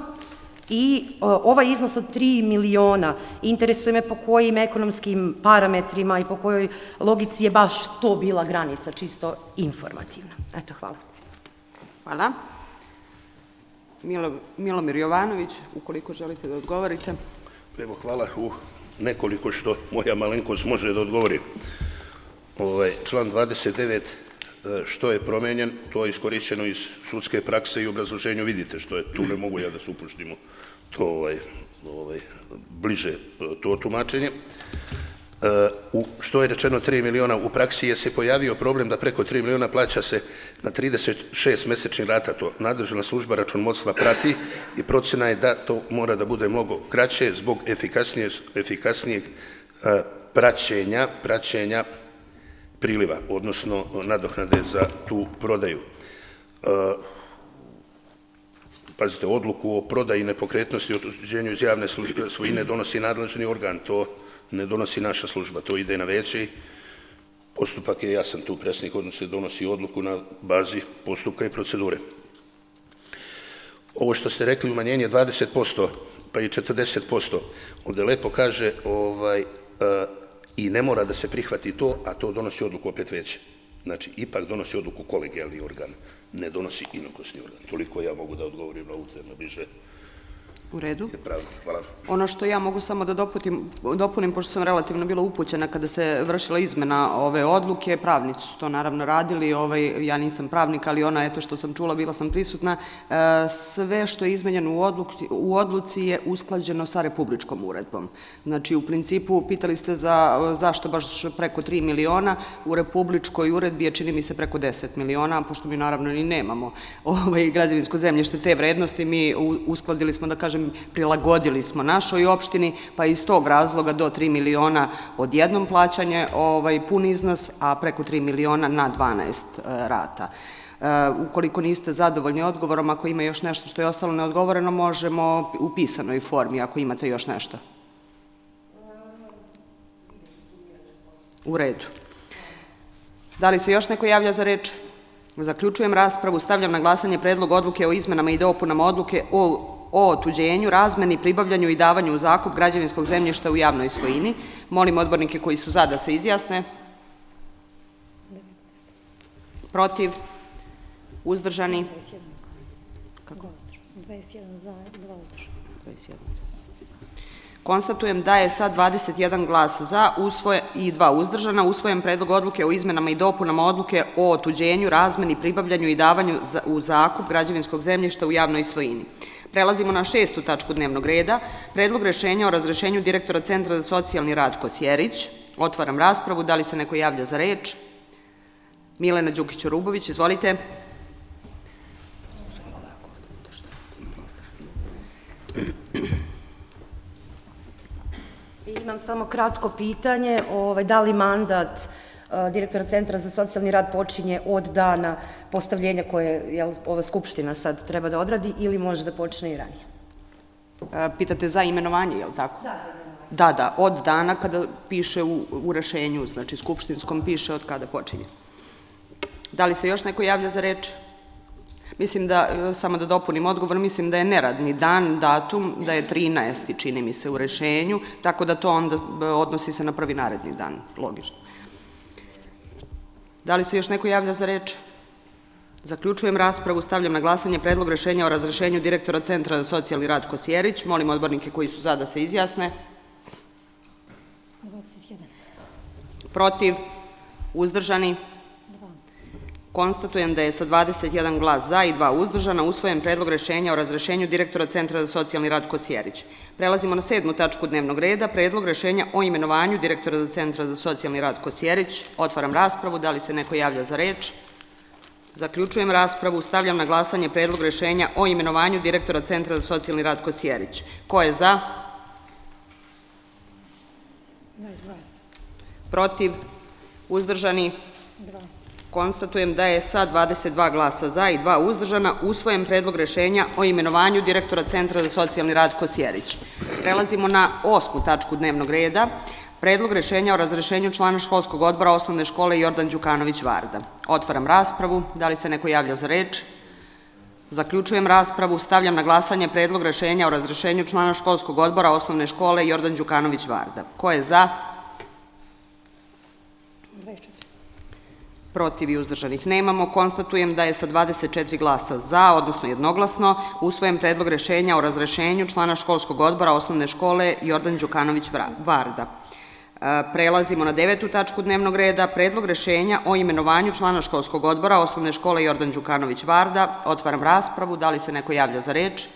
Speaker 5: I ovaj iznos od 3 miliona, interesuje me po kojim ekonomskim parametrima i po kojoj logici je baš to bila granica, čisto informativno. Eto, hvala.
Speaker 1: Hvala. Milomir Jovanović, ukoliko želite da odgovorite.
Speaker 6: Evo, hvala u nekoliko što moja malenkost može da odgovori. Član 29, što je promenjen, to je iskorišćeno iz sudske prakse i obrazloženju, vidite što je, tu ne mogu ja da se upuštim u to bliže to tumačenje. Što je rečeno 3 miliona, u praksi je se pojavio problem da preko 3 miliona plaća se na 36 mesečnih rata, to nadležna služba računovodstva prati i procena je da to mora da bude mnogo kraće zbog efikasnijeg praćenja priliva, odnosno nadoknade za tu prodaju. Pazite, odluku o prodaji nepokretnosti i otuđenju iz javne svojine donosi nadležni organ, to ne donosi naša služba, to ide na veće i postupak je jasan tu, predsjednik odnosno donosi odluku na bazi postupka i procedure. Ovo što ste rekli, umanjenje 20%, pa i 40%, ovdje lepo kaže i ne mora da se prihvati to, a to donosi odluku opet veće. Znači, ipak donosi odluku kolegijalni organ, ne donosi inokosni organ. Toliko ja mogu da odgovorim na ovu temu bliže.
Speaker 1: U redu.
Speaker 6: Hvala.
Speaker 1: Ono što ja mogu samo da dopunim, pošto sam relativno bila upućena kada se vršila izmena ove odluke, pravnici su to naravno radili, ja nisam pravnik, ali ona, eto što sam čula, bila sam prisutna, sve što je izmenjeno u odluci je usklađeno sa republičkom uredbom. Znači, u principu, pitali ste zašto baš preko 3 miliona, u republičkoj uredbi je, čini mi se, preko 10 miliona, pošto mi naravno ni nemamo građevinsko zemljište te vrednosti, mi uskladili smo, da kažem, prilagodili smo našoj opštini, pa iz tog razloga do 3 miliona odjednom plaćanje pun iznos, a preko 3 miliona na 12 rata. Ukoliko niste zadovoljni odgovorom, ako ima još nešto što je ostalo neodgovoreno, možemo u pisanoj formi, ako imate još nešto. U redu. Da li se još neko javlja za reč? Zaključujem raspravu. Stavljam na glasanje predlog odluke o izmenama i dopunama odluke o o otuđenju, razmeni, pribavljanju i davanju u zakup građevinskog zemljišta u javnoj svojini. Molim odbornike koji su za da se izjasne. Protiv? Uzdržani?
Speaker 2: 21 za, 2 uzdržana.
Speaker 1: 21. Konstatujem da je sa 21 glas za i 2 uzdržana usvojen predlog odluke o izmenama i dopunama odluke o otuđenju, razmeni, pribavljanju i davanju u zakup građevinskog zemljišta u javnoj svojini. Prelazimo na 6. tačku dnevnog reda, predlog rešenja o razrešenju direktora Centra za socijalni rad Kosjerić. Otvaram raspravu, da li se neko javlja za reč? Milena Đukić-Orubović, izvolite.
Speaker 5: Imam samo kratko pitanje, da li mandat direktora Centra za socijalni rad počinje od dana postavljenja koje ova Skupština sad treba da odradi ili može da počne i ranije?
Speaker 1: Pitate za imenovanje, je li tako?
Speaker 5: Da, za imenovanje.
Speaker 1: Da, od dana kada piše u rešenju, znači skupštinskom piše od kada počinje. Da li se još neko javlja za reč? Mislim da, samo da dopunim odgovor, mislim da je neradni dan, datum, da je 13. čini mi se u rešenju, tako da to onda odnosi se na prvi naredni dan, logično. Da li se još neko javlja za reč? Zaključujem raspravu, stavljam na glasanje predlog rešenja o razrešenju direktora Centra za socijalni rad Kosjerić. Molim odbornike koji su za da se izjasne.
Speaker 2: 21.
Speaker 1: Protiv? Uzdržani? Konstatujem da je sa 21 glas za i 2 uzdržana usvojen predlog rešenja o razrešenju direktora Centra za socijalni rad Kosjerić. Prelazimo na 7. tačku dnevnog reda, predlog rešenja o imenovanju direktora za Centra za socijalni rad Kosjerić. Otvaram raspravu, da li se neko javlja za reč? Zaključujem raspravu, stavljam na glasanje predlog rešenja o imenovanju direktora Centra za socijalni rad Kosjerić. Ko je za?
Speaker 2: 22.
Speaker 1: Protiv? Uzdržani?
Speaker 2: 2.
Speaker 1: Konstatujem da je sa 22 glasa za i 2 uzdržana usvojen predlog rešenja o imenovanju direktora Centra za socijalni rad Kosjerić. Prelazimo na 8. tačku dnevnog reda, predlog rešenja o razrešenju člana školskog odbora osnovne škole Jordan Đukanović-Varda. Otvaram raspravu, da li se neko javlja za reč? Zaključujem raspravu, stavljam na glasanje predlog rešenja o razrešenju člana školskog odbora osnovne škole Jordan Đukanović-Varda. Ko je za?
Speaker 2: 24.
Speaker 1: Protiv i uzdržanih nemamo. Konstatujem da je sa 24 glasa za, odnosno jednoglasno, usvojen predlog rešenja o razrešenju člana školskog odbora osnovne škole Jordan Đukanović-Varda. Prelazimo na 9. tačku dnevnog reda, predlog rešenja o imenovanju člana školskog odbora osnovne škole Jordan Đukanović-Varda. Otvaram raspravu, da li se neko javlja za reč?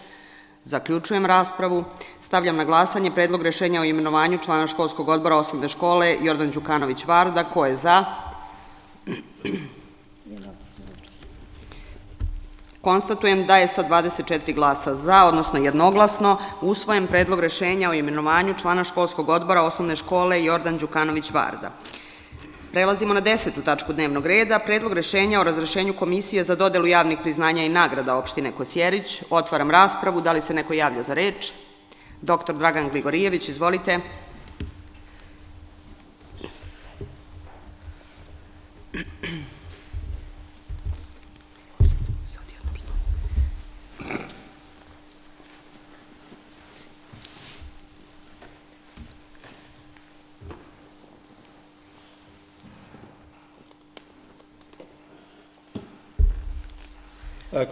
Speaker 1: Zaključujem raspravu, stavljam na glasanje predlog rešenja o imenovanju člana školskog odbora osnovne škole Jordan Đukanović-Varda. Ko je za? Konstatujem da je sa 24 glasa za, odnosno jednoglasno, usvojen predlog rešenja o imenovanju člana školskog odbora osnovne škole Jordan Đukanović-Varda. Prelazimo na 10. tačku dnevnog reda, predlog rešenja o razrešenju Komisije za dodelu javnih priznanja i nagrada opštine Kosjerić. Otvaram raspravu, da li se neko javlja za reč? Dr. Dragan Gligorijević, izvolite.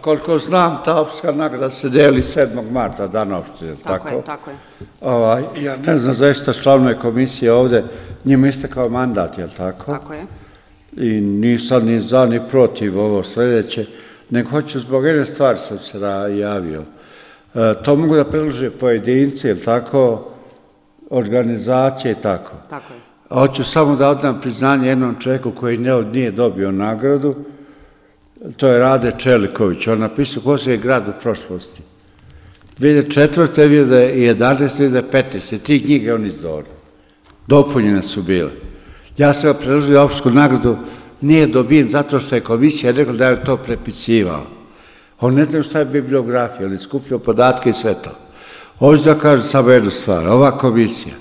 Speaker 3: Koliko znam, ta opštinska nagrada se deli 7. marta, dan opštine, tako?
Speaker 1: Tako je.
Speaker 3: Ja ne znam zaista članove komisije ovde, njima istekao mandat, je li tako?
Speaker 1: Tako je.
Speaker 3: I nisam ni za ni protiv ovo sledeće, nego hoću zbog jedne stvari sam se javio. To mogu da predlože pojedinci, je li tako, organizacije i tako.
Speaker 1: Tako je.
Speaker 3: Hoću samo da odam priznanje jednom čovjeku koji nije dobio nagradu, to je Rade Čeliković, on napisao Kosovski je grad u prošlosti. 2004. 2011. 2015. 3 knjige on izdao. Dopunjene su bile. Ja sam ga predložio opštinsku nagradu, nije dobijen zato što je komisija rekla da je to prepisivao. On ne zna šta je bibliografija, on je skupljao podatke i sve to. Hoću da kažem samo jednu stvar, ova komisija,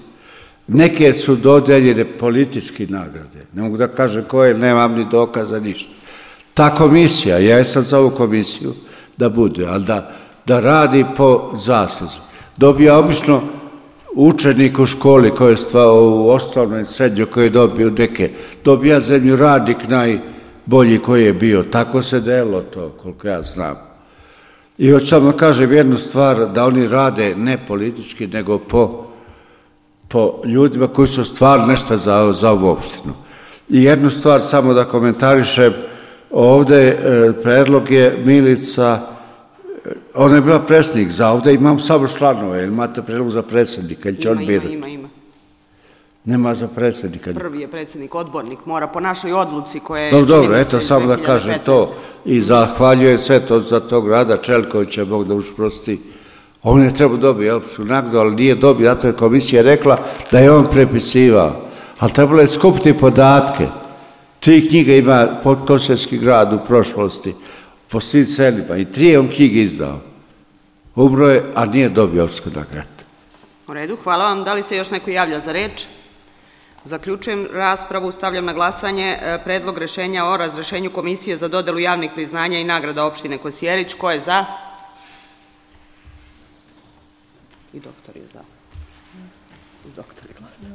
Speaker 3: neke su dodeljene politički nagrade, ne mogu da kažem koje, nemam ni dokaza, ništa. Ta komisija, ja sam za ovu komisiju da bude, ali da da radi po zasluzi. Dobija obično učenik u školi koji je u osnovnoj i srednjoj koji je dobio neke, dobija zemljoradnik najbolji koji je bio. Tako se delilo to, koliko ja znam. I hoću samo kažem jednu stvar, da oni rade ne politički, nego po ljudima koji su stvarno nešto za ovu opštinu. I jednu stvar samo da komentarišem, ovde predlog je Milica, ona je bila predsjednik, za ovde imam samo članove, ili imate predlog za predsjednika, ili će on birati?
Speaker 1: Ima.
Speaker 3: Nema za predsjednika.
Speaker 1: Prvi je predsjednik, odbornik, mora po našoj odluci koje...
Speaker 3: Dobro, eto, samo da kažem to i zahvaljujem sve to za tog Rada Čeljkovića, Bog da učprosti. On je trebao dobiti opštu nagradu, ali nije dobio, zato je komisija rekla da je on prepisivao. Ali trebalo je skupiti podatke. 3 knjige ima Podkosovski grad u prošlosti, po svim selima, i 3 je on knjige izdao. Umro je, a nije dobio opštu nagradu.
Speaker 1: U redu, hvala vam. Da li se još neko javlja za reč? Zaključujem raspravu, stavljam na glasanje predlog rešenja o razrešenju Komisije za dodelu javnih priznanja i nagrada opštine Kosjerić. Ko je za? I doktor je za. Doktor je glas.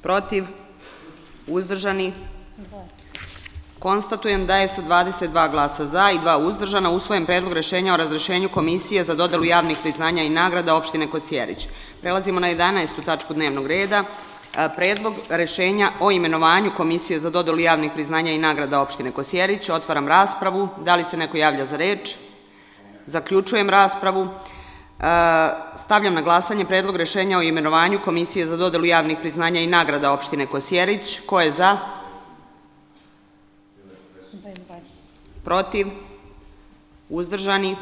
Speaker 1: Protiv? Uzdržani? Konstatujem da je sa 22 glasa za i 2 uzdržana usvojen predlog rešenja o razrešenju Komisije za dodelu javnih priznanja i nagrada opštine Kosjerić. Prelazimo na 11. tačku dnevnog reda. Predlog rešenja o imenovanju Komisije za dodelu javnih priznanja i nagrada opštine Kosjerić. Otvaram raspravu. Da li se neko javlja za reč? Zaključujem raspravu. Stavljam na glasanje predlog rešenja o imenovanju Komisije za dodelu javnih priznanja i nagrada opštine Kosjerić. Ko je za? Protiv? Uzdržani?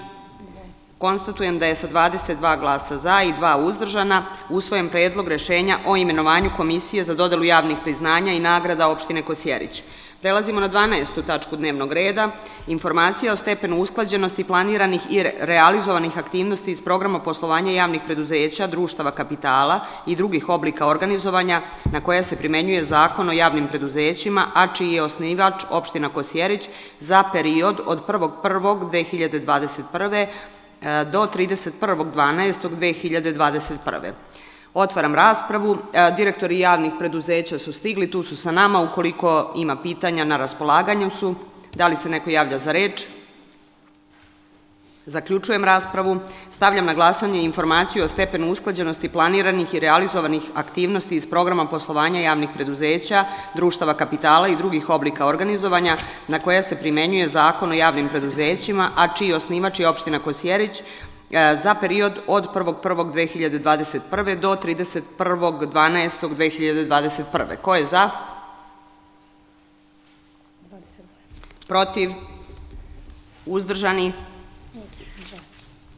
Speaker 1: Konstatujem da je sa 22 glasa za i 2 uzdržana usvojen predlog rešenja o imenovanju Komisije za dodelu javnih priznanja i nagrada opštine Kosjerić. Prelazimo na 12. tačku dnevnog reda. Informacija o stepenu usklađenosti planiranih i realizovanih aktivnosti iz programa poslovanja javnih preduzeća, društava kapitala i drugih oblika organizovanja na koje se primenjuje Zakon o javnim preduzećima, a čiji je osnivač opština Kosjerić za period od 1.1.2021. do 31.12.2021. Otvaram raspravu. Direktori javnih preduzeća su stigli, tu su sa nama. Ukoliko ima pitanja, na raspolaganju su. Da li se neko javlja za reč? Zaključujem raspravu. Stavljam na glasanje informaciju o stepenu usklađenosti planiranih i realizovanih aktivnosti iz programa poslovanja javnih preduzeća, društava kapitala i drugih oblika organizovanja na koje se primenjuje Zakon o javnim preduzećima, a čiji osnivač je opština Kosjerić za period od 1.1.2021. do 31.12.2021. Ko je za? Protiv? Uzdržani?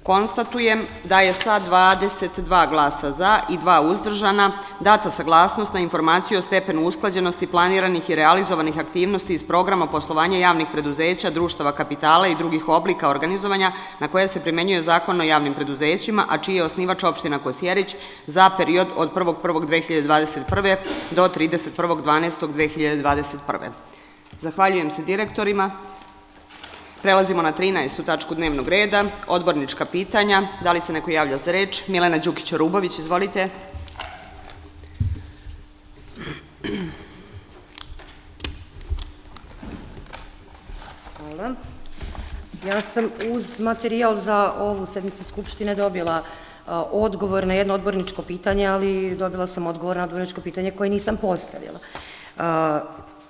Speaker 1: Konstatujem da je sa 22 glasa za i 2 uzdržana data saglasnost na informaciju o stepenu usklađenosti planiranih i realizovanih aktivnosti iz programa poslovanja javnih preduzeća, društava kapitala i drugih oblika organizovanja na koje se primenjuje Zakon o javnim preduzećima, a čiji je osnivač opština Kosjerić za period od 1.1.2021. do 31.12.2021. Zahvaljujem se direktorima. Prelazimo na 13. tačku dnevnog reda, odbornička pitanja. Da li se neko javlja za reč? Milena Đukić-Orubović, izvolite.
Speaker 5: Hvala. Ja sam uz materijal za ovu sednicu Skupštine dobila odgovor na jedno odborničko pitanje, ali dobila sam odgovor na odborničko pitanje koje nisam postavila.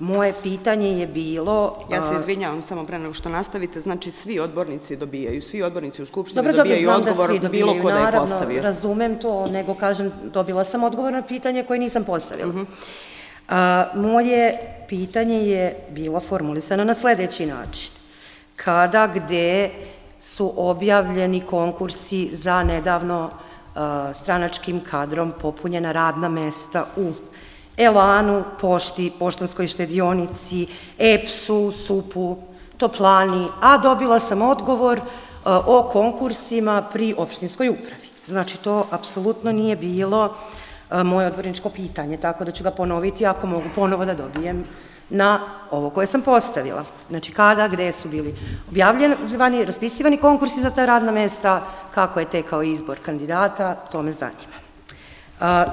Speaker 5: Moje pitanje je bilo...
Speaker 1: Ja se izvinjavam samo pre nego što nastavite, znači svi odbornici dobijaju, svi odbornici u Skupštini dobijaju odgovor bilo ko da je postavio.
Speaker 5: Naravno, razumem to, nego kažem, dobila sam odgovor na pitanje koje nisam postavila. Moje pitanje je bilo formulisano na sledeći način. Kada, gde su objavljeni konkursi za nedavno stranačkim kadrom popunjena radna mesta u Elanu, Pošti, Poštanskoj štedionici, EPS-u, SUP-u, Toplani, a dobila sam odgovor o konkursima pri opštinskoj upravi. Znači, to apsolutno nije bilo moje odborničko pitanje, tako da ću ga ponoviti ako mogu ponovo da dobijem na ovo koje sam postavila. Znači, kada, gde su bili objavljivani, raspisivani konkursi za ta radna mesta, kako je tekao izbor kandidata, to me zanima.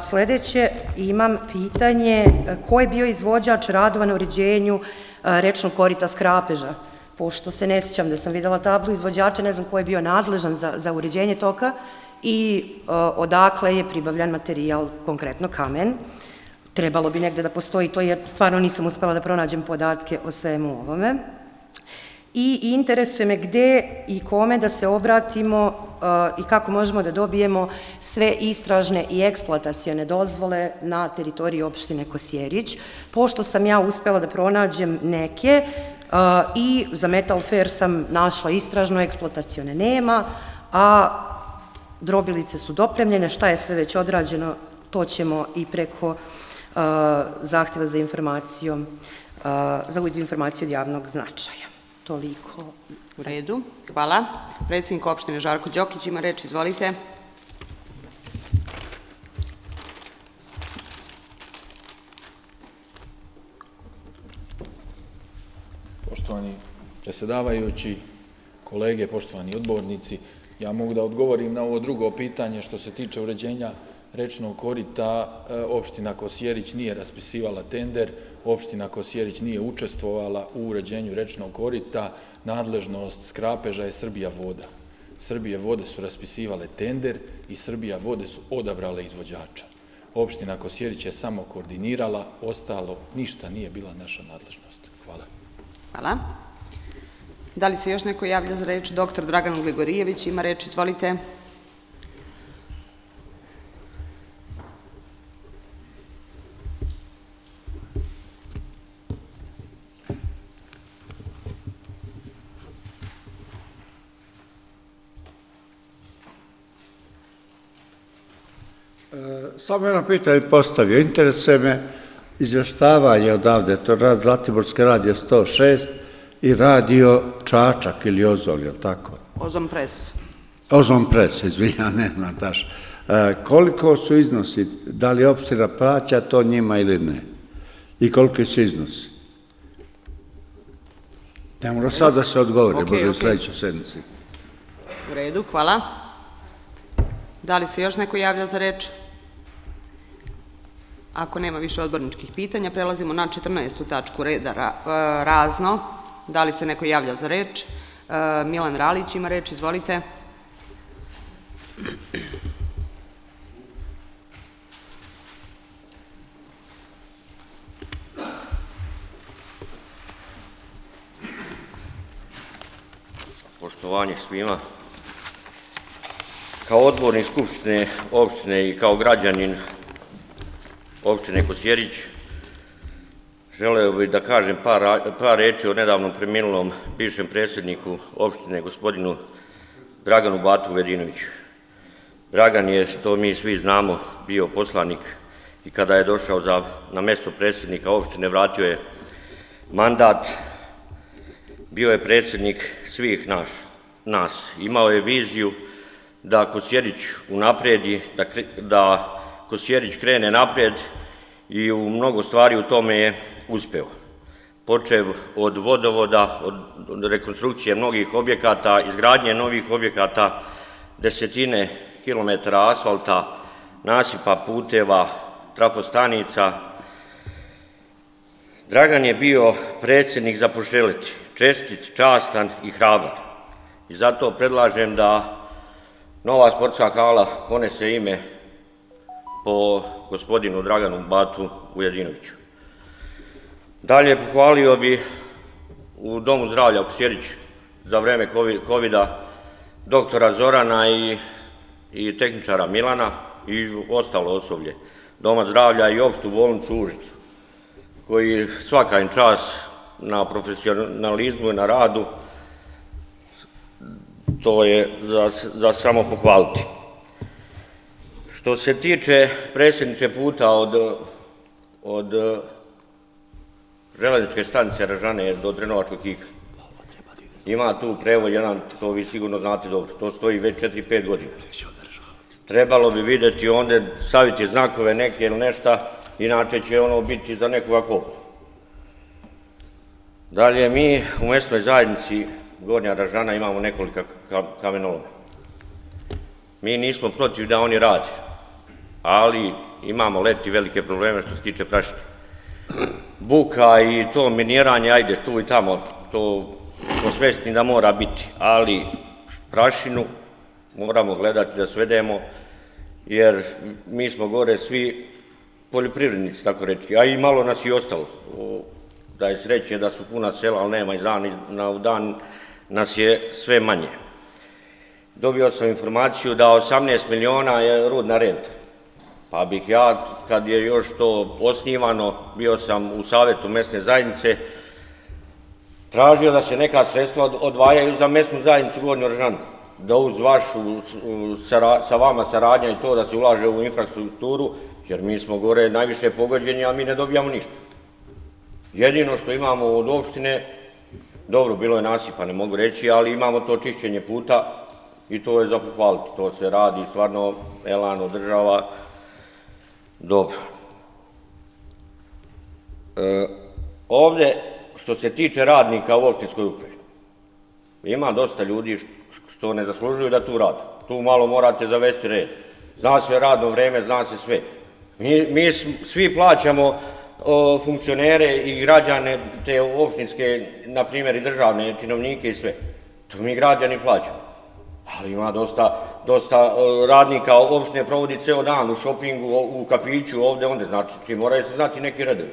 Speaker 5: Sledeće, imam pitanje ko je bio izvođač radova na uređenju rečnog korita Skrapeža, pošto se ne sjećam da sam videla tablu izvođača, ne znam ko je bio nadležan za uređenje toka i odakle je pribavljan materijal, konkretno kamen. Trebalo bi negde da postoji to, jer stvarno nisam uspela da pronađem podatke o svemu ovome. I interesuje me gde i kome da se obratimo i kako možemo da dobijemo sve istražne i eksploatacione dozvole na teritoriji opštine Kosjerić, pošto sam ja uspela da pronađem neke i za Metal Fair sam našla istražno, eksploatacione nema, a drobilice su dopremljene, šta je sve već odrađeno, to ćemo i preko zahteva za informacijom, za informaciju od javnog značaja. Toliko.
Speaker 1: U redu, hvala. Predsednik opštine Žarko Đokić ima reč, izvolite.
Speaker 7: Poštovani predsjedavajući, kolege, poštovani odbornici, ja mogu da odgovorim na ovo drugo pitanje što se tiče uređenja rečnog korita. Opština Kosjerić nije raspisivala tender, opština Kosjerić nije učestvovala u uređenju rečnog korita, nadležnost Skrapeža je Srbija voda. Srbije vode su raspisivale tender i Srbija vode su odabrale izvođača. Opština Kosjerić je samo koordinirala, ostalo ništa nije bila naša nadležnost. Hvala.
Speaker 1: Hvala. Da li se još neko javlja za reč? Doktor Dragan Gligorijević ima reč, izvolite.
Speaker 3: Samo jedno pitanje postavio. Interesuje me izvještavanje odavde, to je Zlatiborski radio 106 i radio Čačak ili Ozon, je li tako?
Speaker 1: Ozon Pres.
Speaker 3: Ozon Pres, izvinja, ne znam taš. Koliko su iznosi, da li opština plaća to njima ili ne? I koliki su iznosi? Ne mora sad da se odgovori, može u sledećoj sednici.
Speaker 1: U redu, hvala. Da li se još neko javlja za reč? Ako nema više odborničkih pitanja, prelazimo na 14. tačku reda razno. Da li se neko javlja za reč? Milan Ralić ima reč, izvolite.
Speaker 8: Poštovanje svima. Kao odbornik Skupštine opštine i kao građanin opštine Kosjerić želeo bih da kažem par reči o nedavno preminulom bivšem predsjedniku opštine, gospodinu Draganu Batu Vujadinoviću. Dragan je, to mi svi znamo, bio poslanik i kada je došao na mesto predsjednika opštine vratio je mandat, bio je predsjednik svih nas. Imao je viziju da Kosjerić unapredi, da Kosjerić krene napred i u mnogo stvari u tome je uspeo. Počev od vodovoda, od rekonstrukcije mnogih objekata, izgradnje novih objekata, desetine kilometara asfalta, nasipa, puteva, trafostanica. Dragan je bio predsjednik za poželeti, čestit, častan i hrabar. I zato predlažem da nova sportska hala ponese ime po gospodinu Draganu Batu Vujadinoviću. Dalje pohvalio bi u Domu zdravlja u Kosjerić za vreme COVID-a doktora Zorana i tehničara Milana i ostalo osoblje Doma zdravlja i opštu bolnicu u Užicu, koji svaka im čast na profesionalizmu i na radu, to je za samo pohvaliti. Što se tiče predsjedniče puta od železničke stanice Ražane do Drenovačkog Kika, ima tu prevod jedan, to vi sigurno znate dobro, to stoji već 4-5 godina. Trebalo bi vidjeti onda, staviti znakove neke ili nešta, inače će ono biti za nekoga kopa. Dalje, mi u mesnoj zajednici Gornja Ražana imamo nekoliko kamenoloma. Mi nismo protiv da oni rade, ali imamo leti velike probleme što se tiče prašine. Buka i to miniranje, ajde tu i tamo, to smo svesni da mora biti, ali prašinu moramo gledati da svedemo, jer mi smo gore svi poljoprivrednici, tako reći, a i malo nas i ostalo. Da je sreće da su puna sela, ali nema iz dana u dan nas je sve manje. Dobio sam informaciju da 18 miliona je rudna renta. Pa bih ja, kad je još to osnivano, bio sam u savjetu mesne zajednice, tražio da se neka sredstva odvajaju za mesnu zajednicu Gornju Ražanu. Da uz vašu, sa vama saradnja i to da se ulaže u infrastrukturu, jer mi smo gore najviše pogođeni, a mi ne dobijamo ništa. Jedino što imamo od opštine, dobro, bilo je nasipa, ne mogu reći, ali imamo to čišćenje puta i to je za pohvaliti. To se radi, stvarno elan održava dobro. Ovde, što se tiče radnika u opštinskoj upravi, ima dosta ljudi što ne zaslužuju da tu rade. Tu malo morate zavesti red. Zna se radno vreme, zna se sve. Mi svi plaćamo funkcionere i građane, te opštinske, na primjer i državne činovnike i sve. To mi građani plaćamo. Ali ima dosta radnika opštine provodi ceo dan u šopingu, u kafiću, ovde, onde, znači moraju se znati neki redovi.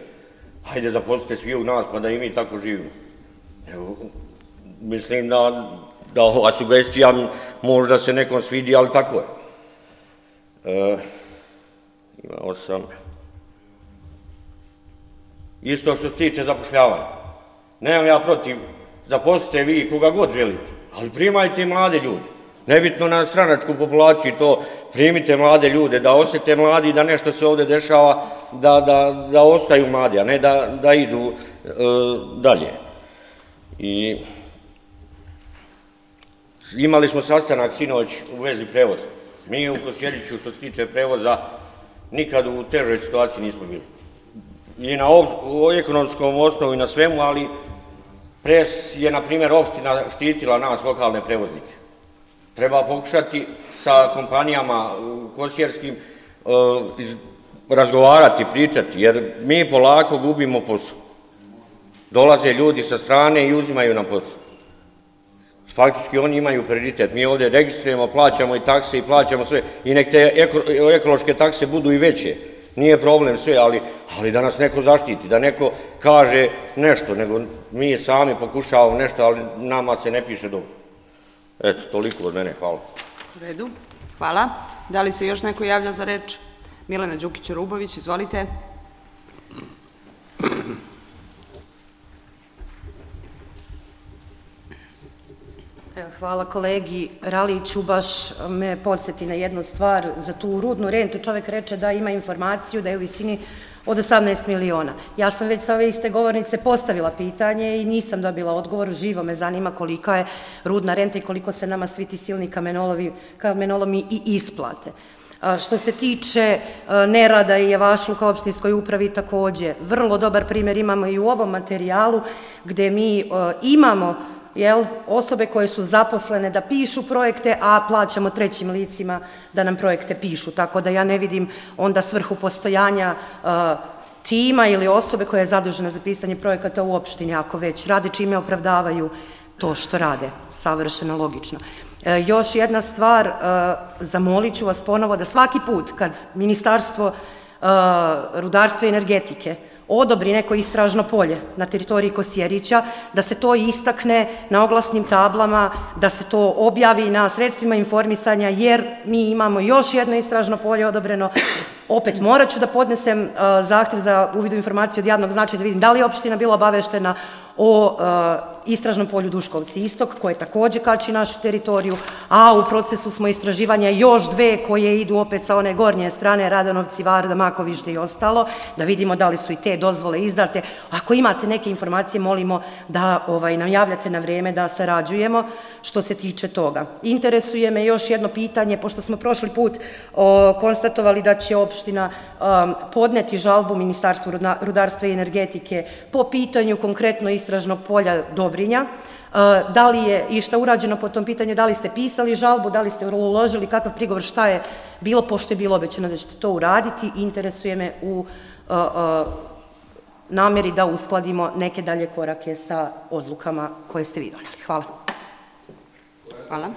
Speaker 8: Hajde zaposlite svi u nas pa da i mi tako živimo. Mislim da ova sugestija možda se nekom svidi, ali tako je. Imao sam... Isto što se tiče zapošljavanja. Nemam ja protiv, zaposlite vi koga god želite, ali primajte mlade ljude. Nebitno na stranačku populaciju to, primite mlade ljude, da osete mladi da nešto se ovde dešava, da ostaju mladi, a ne da idu dalje. I imali smo sastanak sinoć u vezi prevoza. Mi u Kosjeriću, što se tiče prevoza, nikad u težoj situaciji nismo bili. I na ekonomskom osnovu i na svemu, ali pre je, na primjer, opština štitila nas, lokalne prevoznike. Treba pokušati sa kompanijama kosjerskim razgovarati, pričati, jer mi polako gubimo posao. Dolaze ljudi sa strane i uzimaju nam posao. Faktički oni imaju prioritet. Mi ovde registrujemo, plaćamo i takse i plaćamo sve. I nek te ekološke takse budu i veće. Nije problem sve, ali da nas neko zaštiti, da neko kaže nešto, nego mi sami pokušavamo nešto, ali nama se ne piše dobro. Eto, toliko od mene, hvala.
Speaker 1: U redu, hvala. Da li se još neko javlja za reč? Milena Đukić-Rubović, izvolite.
Speaker 5: Hvala kolegi Raliću, baš me podsjeti na jednu stvar, za tu rudnu rentu čovjek reče da ima informaciju da je u visini od 18 miliona. Ja sam već sa ove iste govornice postavila pitanje i nisam dobila odgovor, živo me zanima kolika je rudna renta i koliko se nama svi ti silni kamenolomi i isplate. Što se tiče nerada i javašluka u opštinskoj upravi, takođe, vrlo dobar primjer imamo i u ovom materijalu gde mi imamo osobe koje su zaposlene da pišu projekte, a plaćamo trećim licima da nam projekte pišu. Tako da ja ne vidim onda svrhu postojanja tima ili osobe koja je zadužena za pisanje projekata u opštini, ako već rade, čime opravdavaju to što rade. Savršeno logično. Još jedna stvar, zamolit ću vas ponovo da svaki put kad Ministarstvo rudarstva i energetike odobri neko istražno polje na teritoriji Kosjerića, da se to istakne na oglasnim tablama, da se to objavi na sredstvima informisanja, jer mi imamo još jedno istražno polje odobreno. Opet morat ću da podnesem zahtev za uvid u informaciju od javnog značaja da vidim da li je opština bila obaveštena o istražnom polju Duškovci istok, koje takođe kači našu teritoriju, a u procesu smo istraživanja još dve koje idu opet sa one gornje strane, Radanovci, Varda, Makovište i ostalo, da vidimo da li su i te dozvole izdate. Ako imate neke informacije, molimo da nam javljate na vreme da sarađujemo što se tiče toga. Interesuje me još jedno pitanje, pošto smo prošli put konstatovali da će opština podneti žalbu Ministarstvu rudarstva i energetike po pitanju konkretno istražnog polja Dobrinja. Da li je išta urađeno po tom pitanju, da li ste pisali žalbu, da li ste uložili kakav prigovor, šta je bilo, pošto je bilo obećano da ćete to uraditi. Interesuje me u nameri da uskladimo neke dalje korake sa odlukama koje ste vi doneli. Hvala.
Speaker 1: Hvala.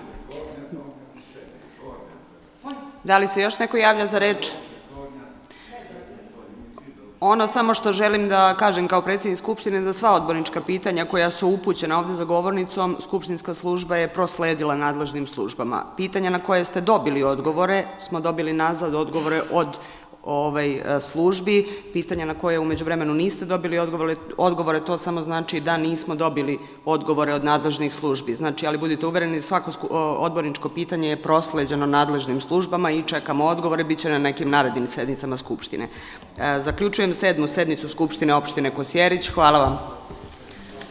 Speaker 1: Da li se još neko javlja za reč? Ono samo što želim da kažem kao predsjednik Skupštine, da sva odbornička pitanja koja su upućena ovde za govornicom, Skupštinska služba je prosledila nadležnim službama. Pitanja na koje ste dobili odgovore, smo dobili nazad odgovore od službi. Pitanja na koje umeđu vremenu niste dobili odgovore, to samo znači da nismo dobili odgovore od nadležnih službi. Znači, ali budite uvereni, svako odborničko pitanje je prosleđeno nadležnim službama i čekamo odgovore, bit će na nekim narednim sednicama Skupštine. Zaključujem 7. sednicu Skupštine opštine Kosjerić. Hvala vam.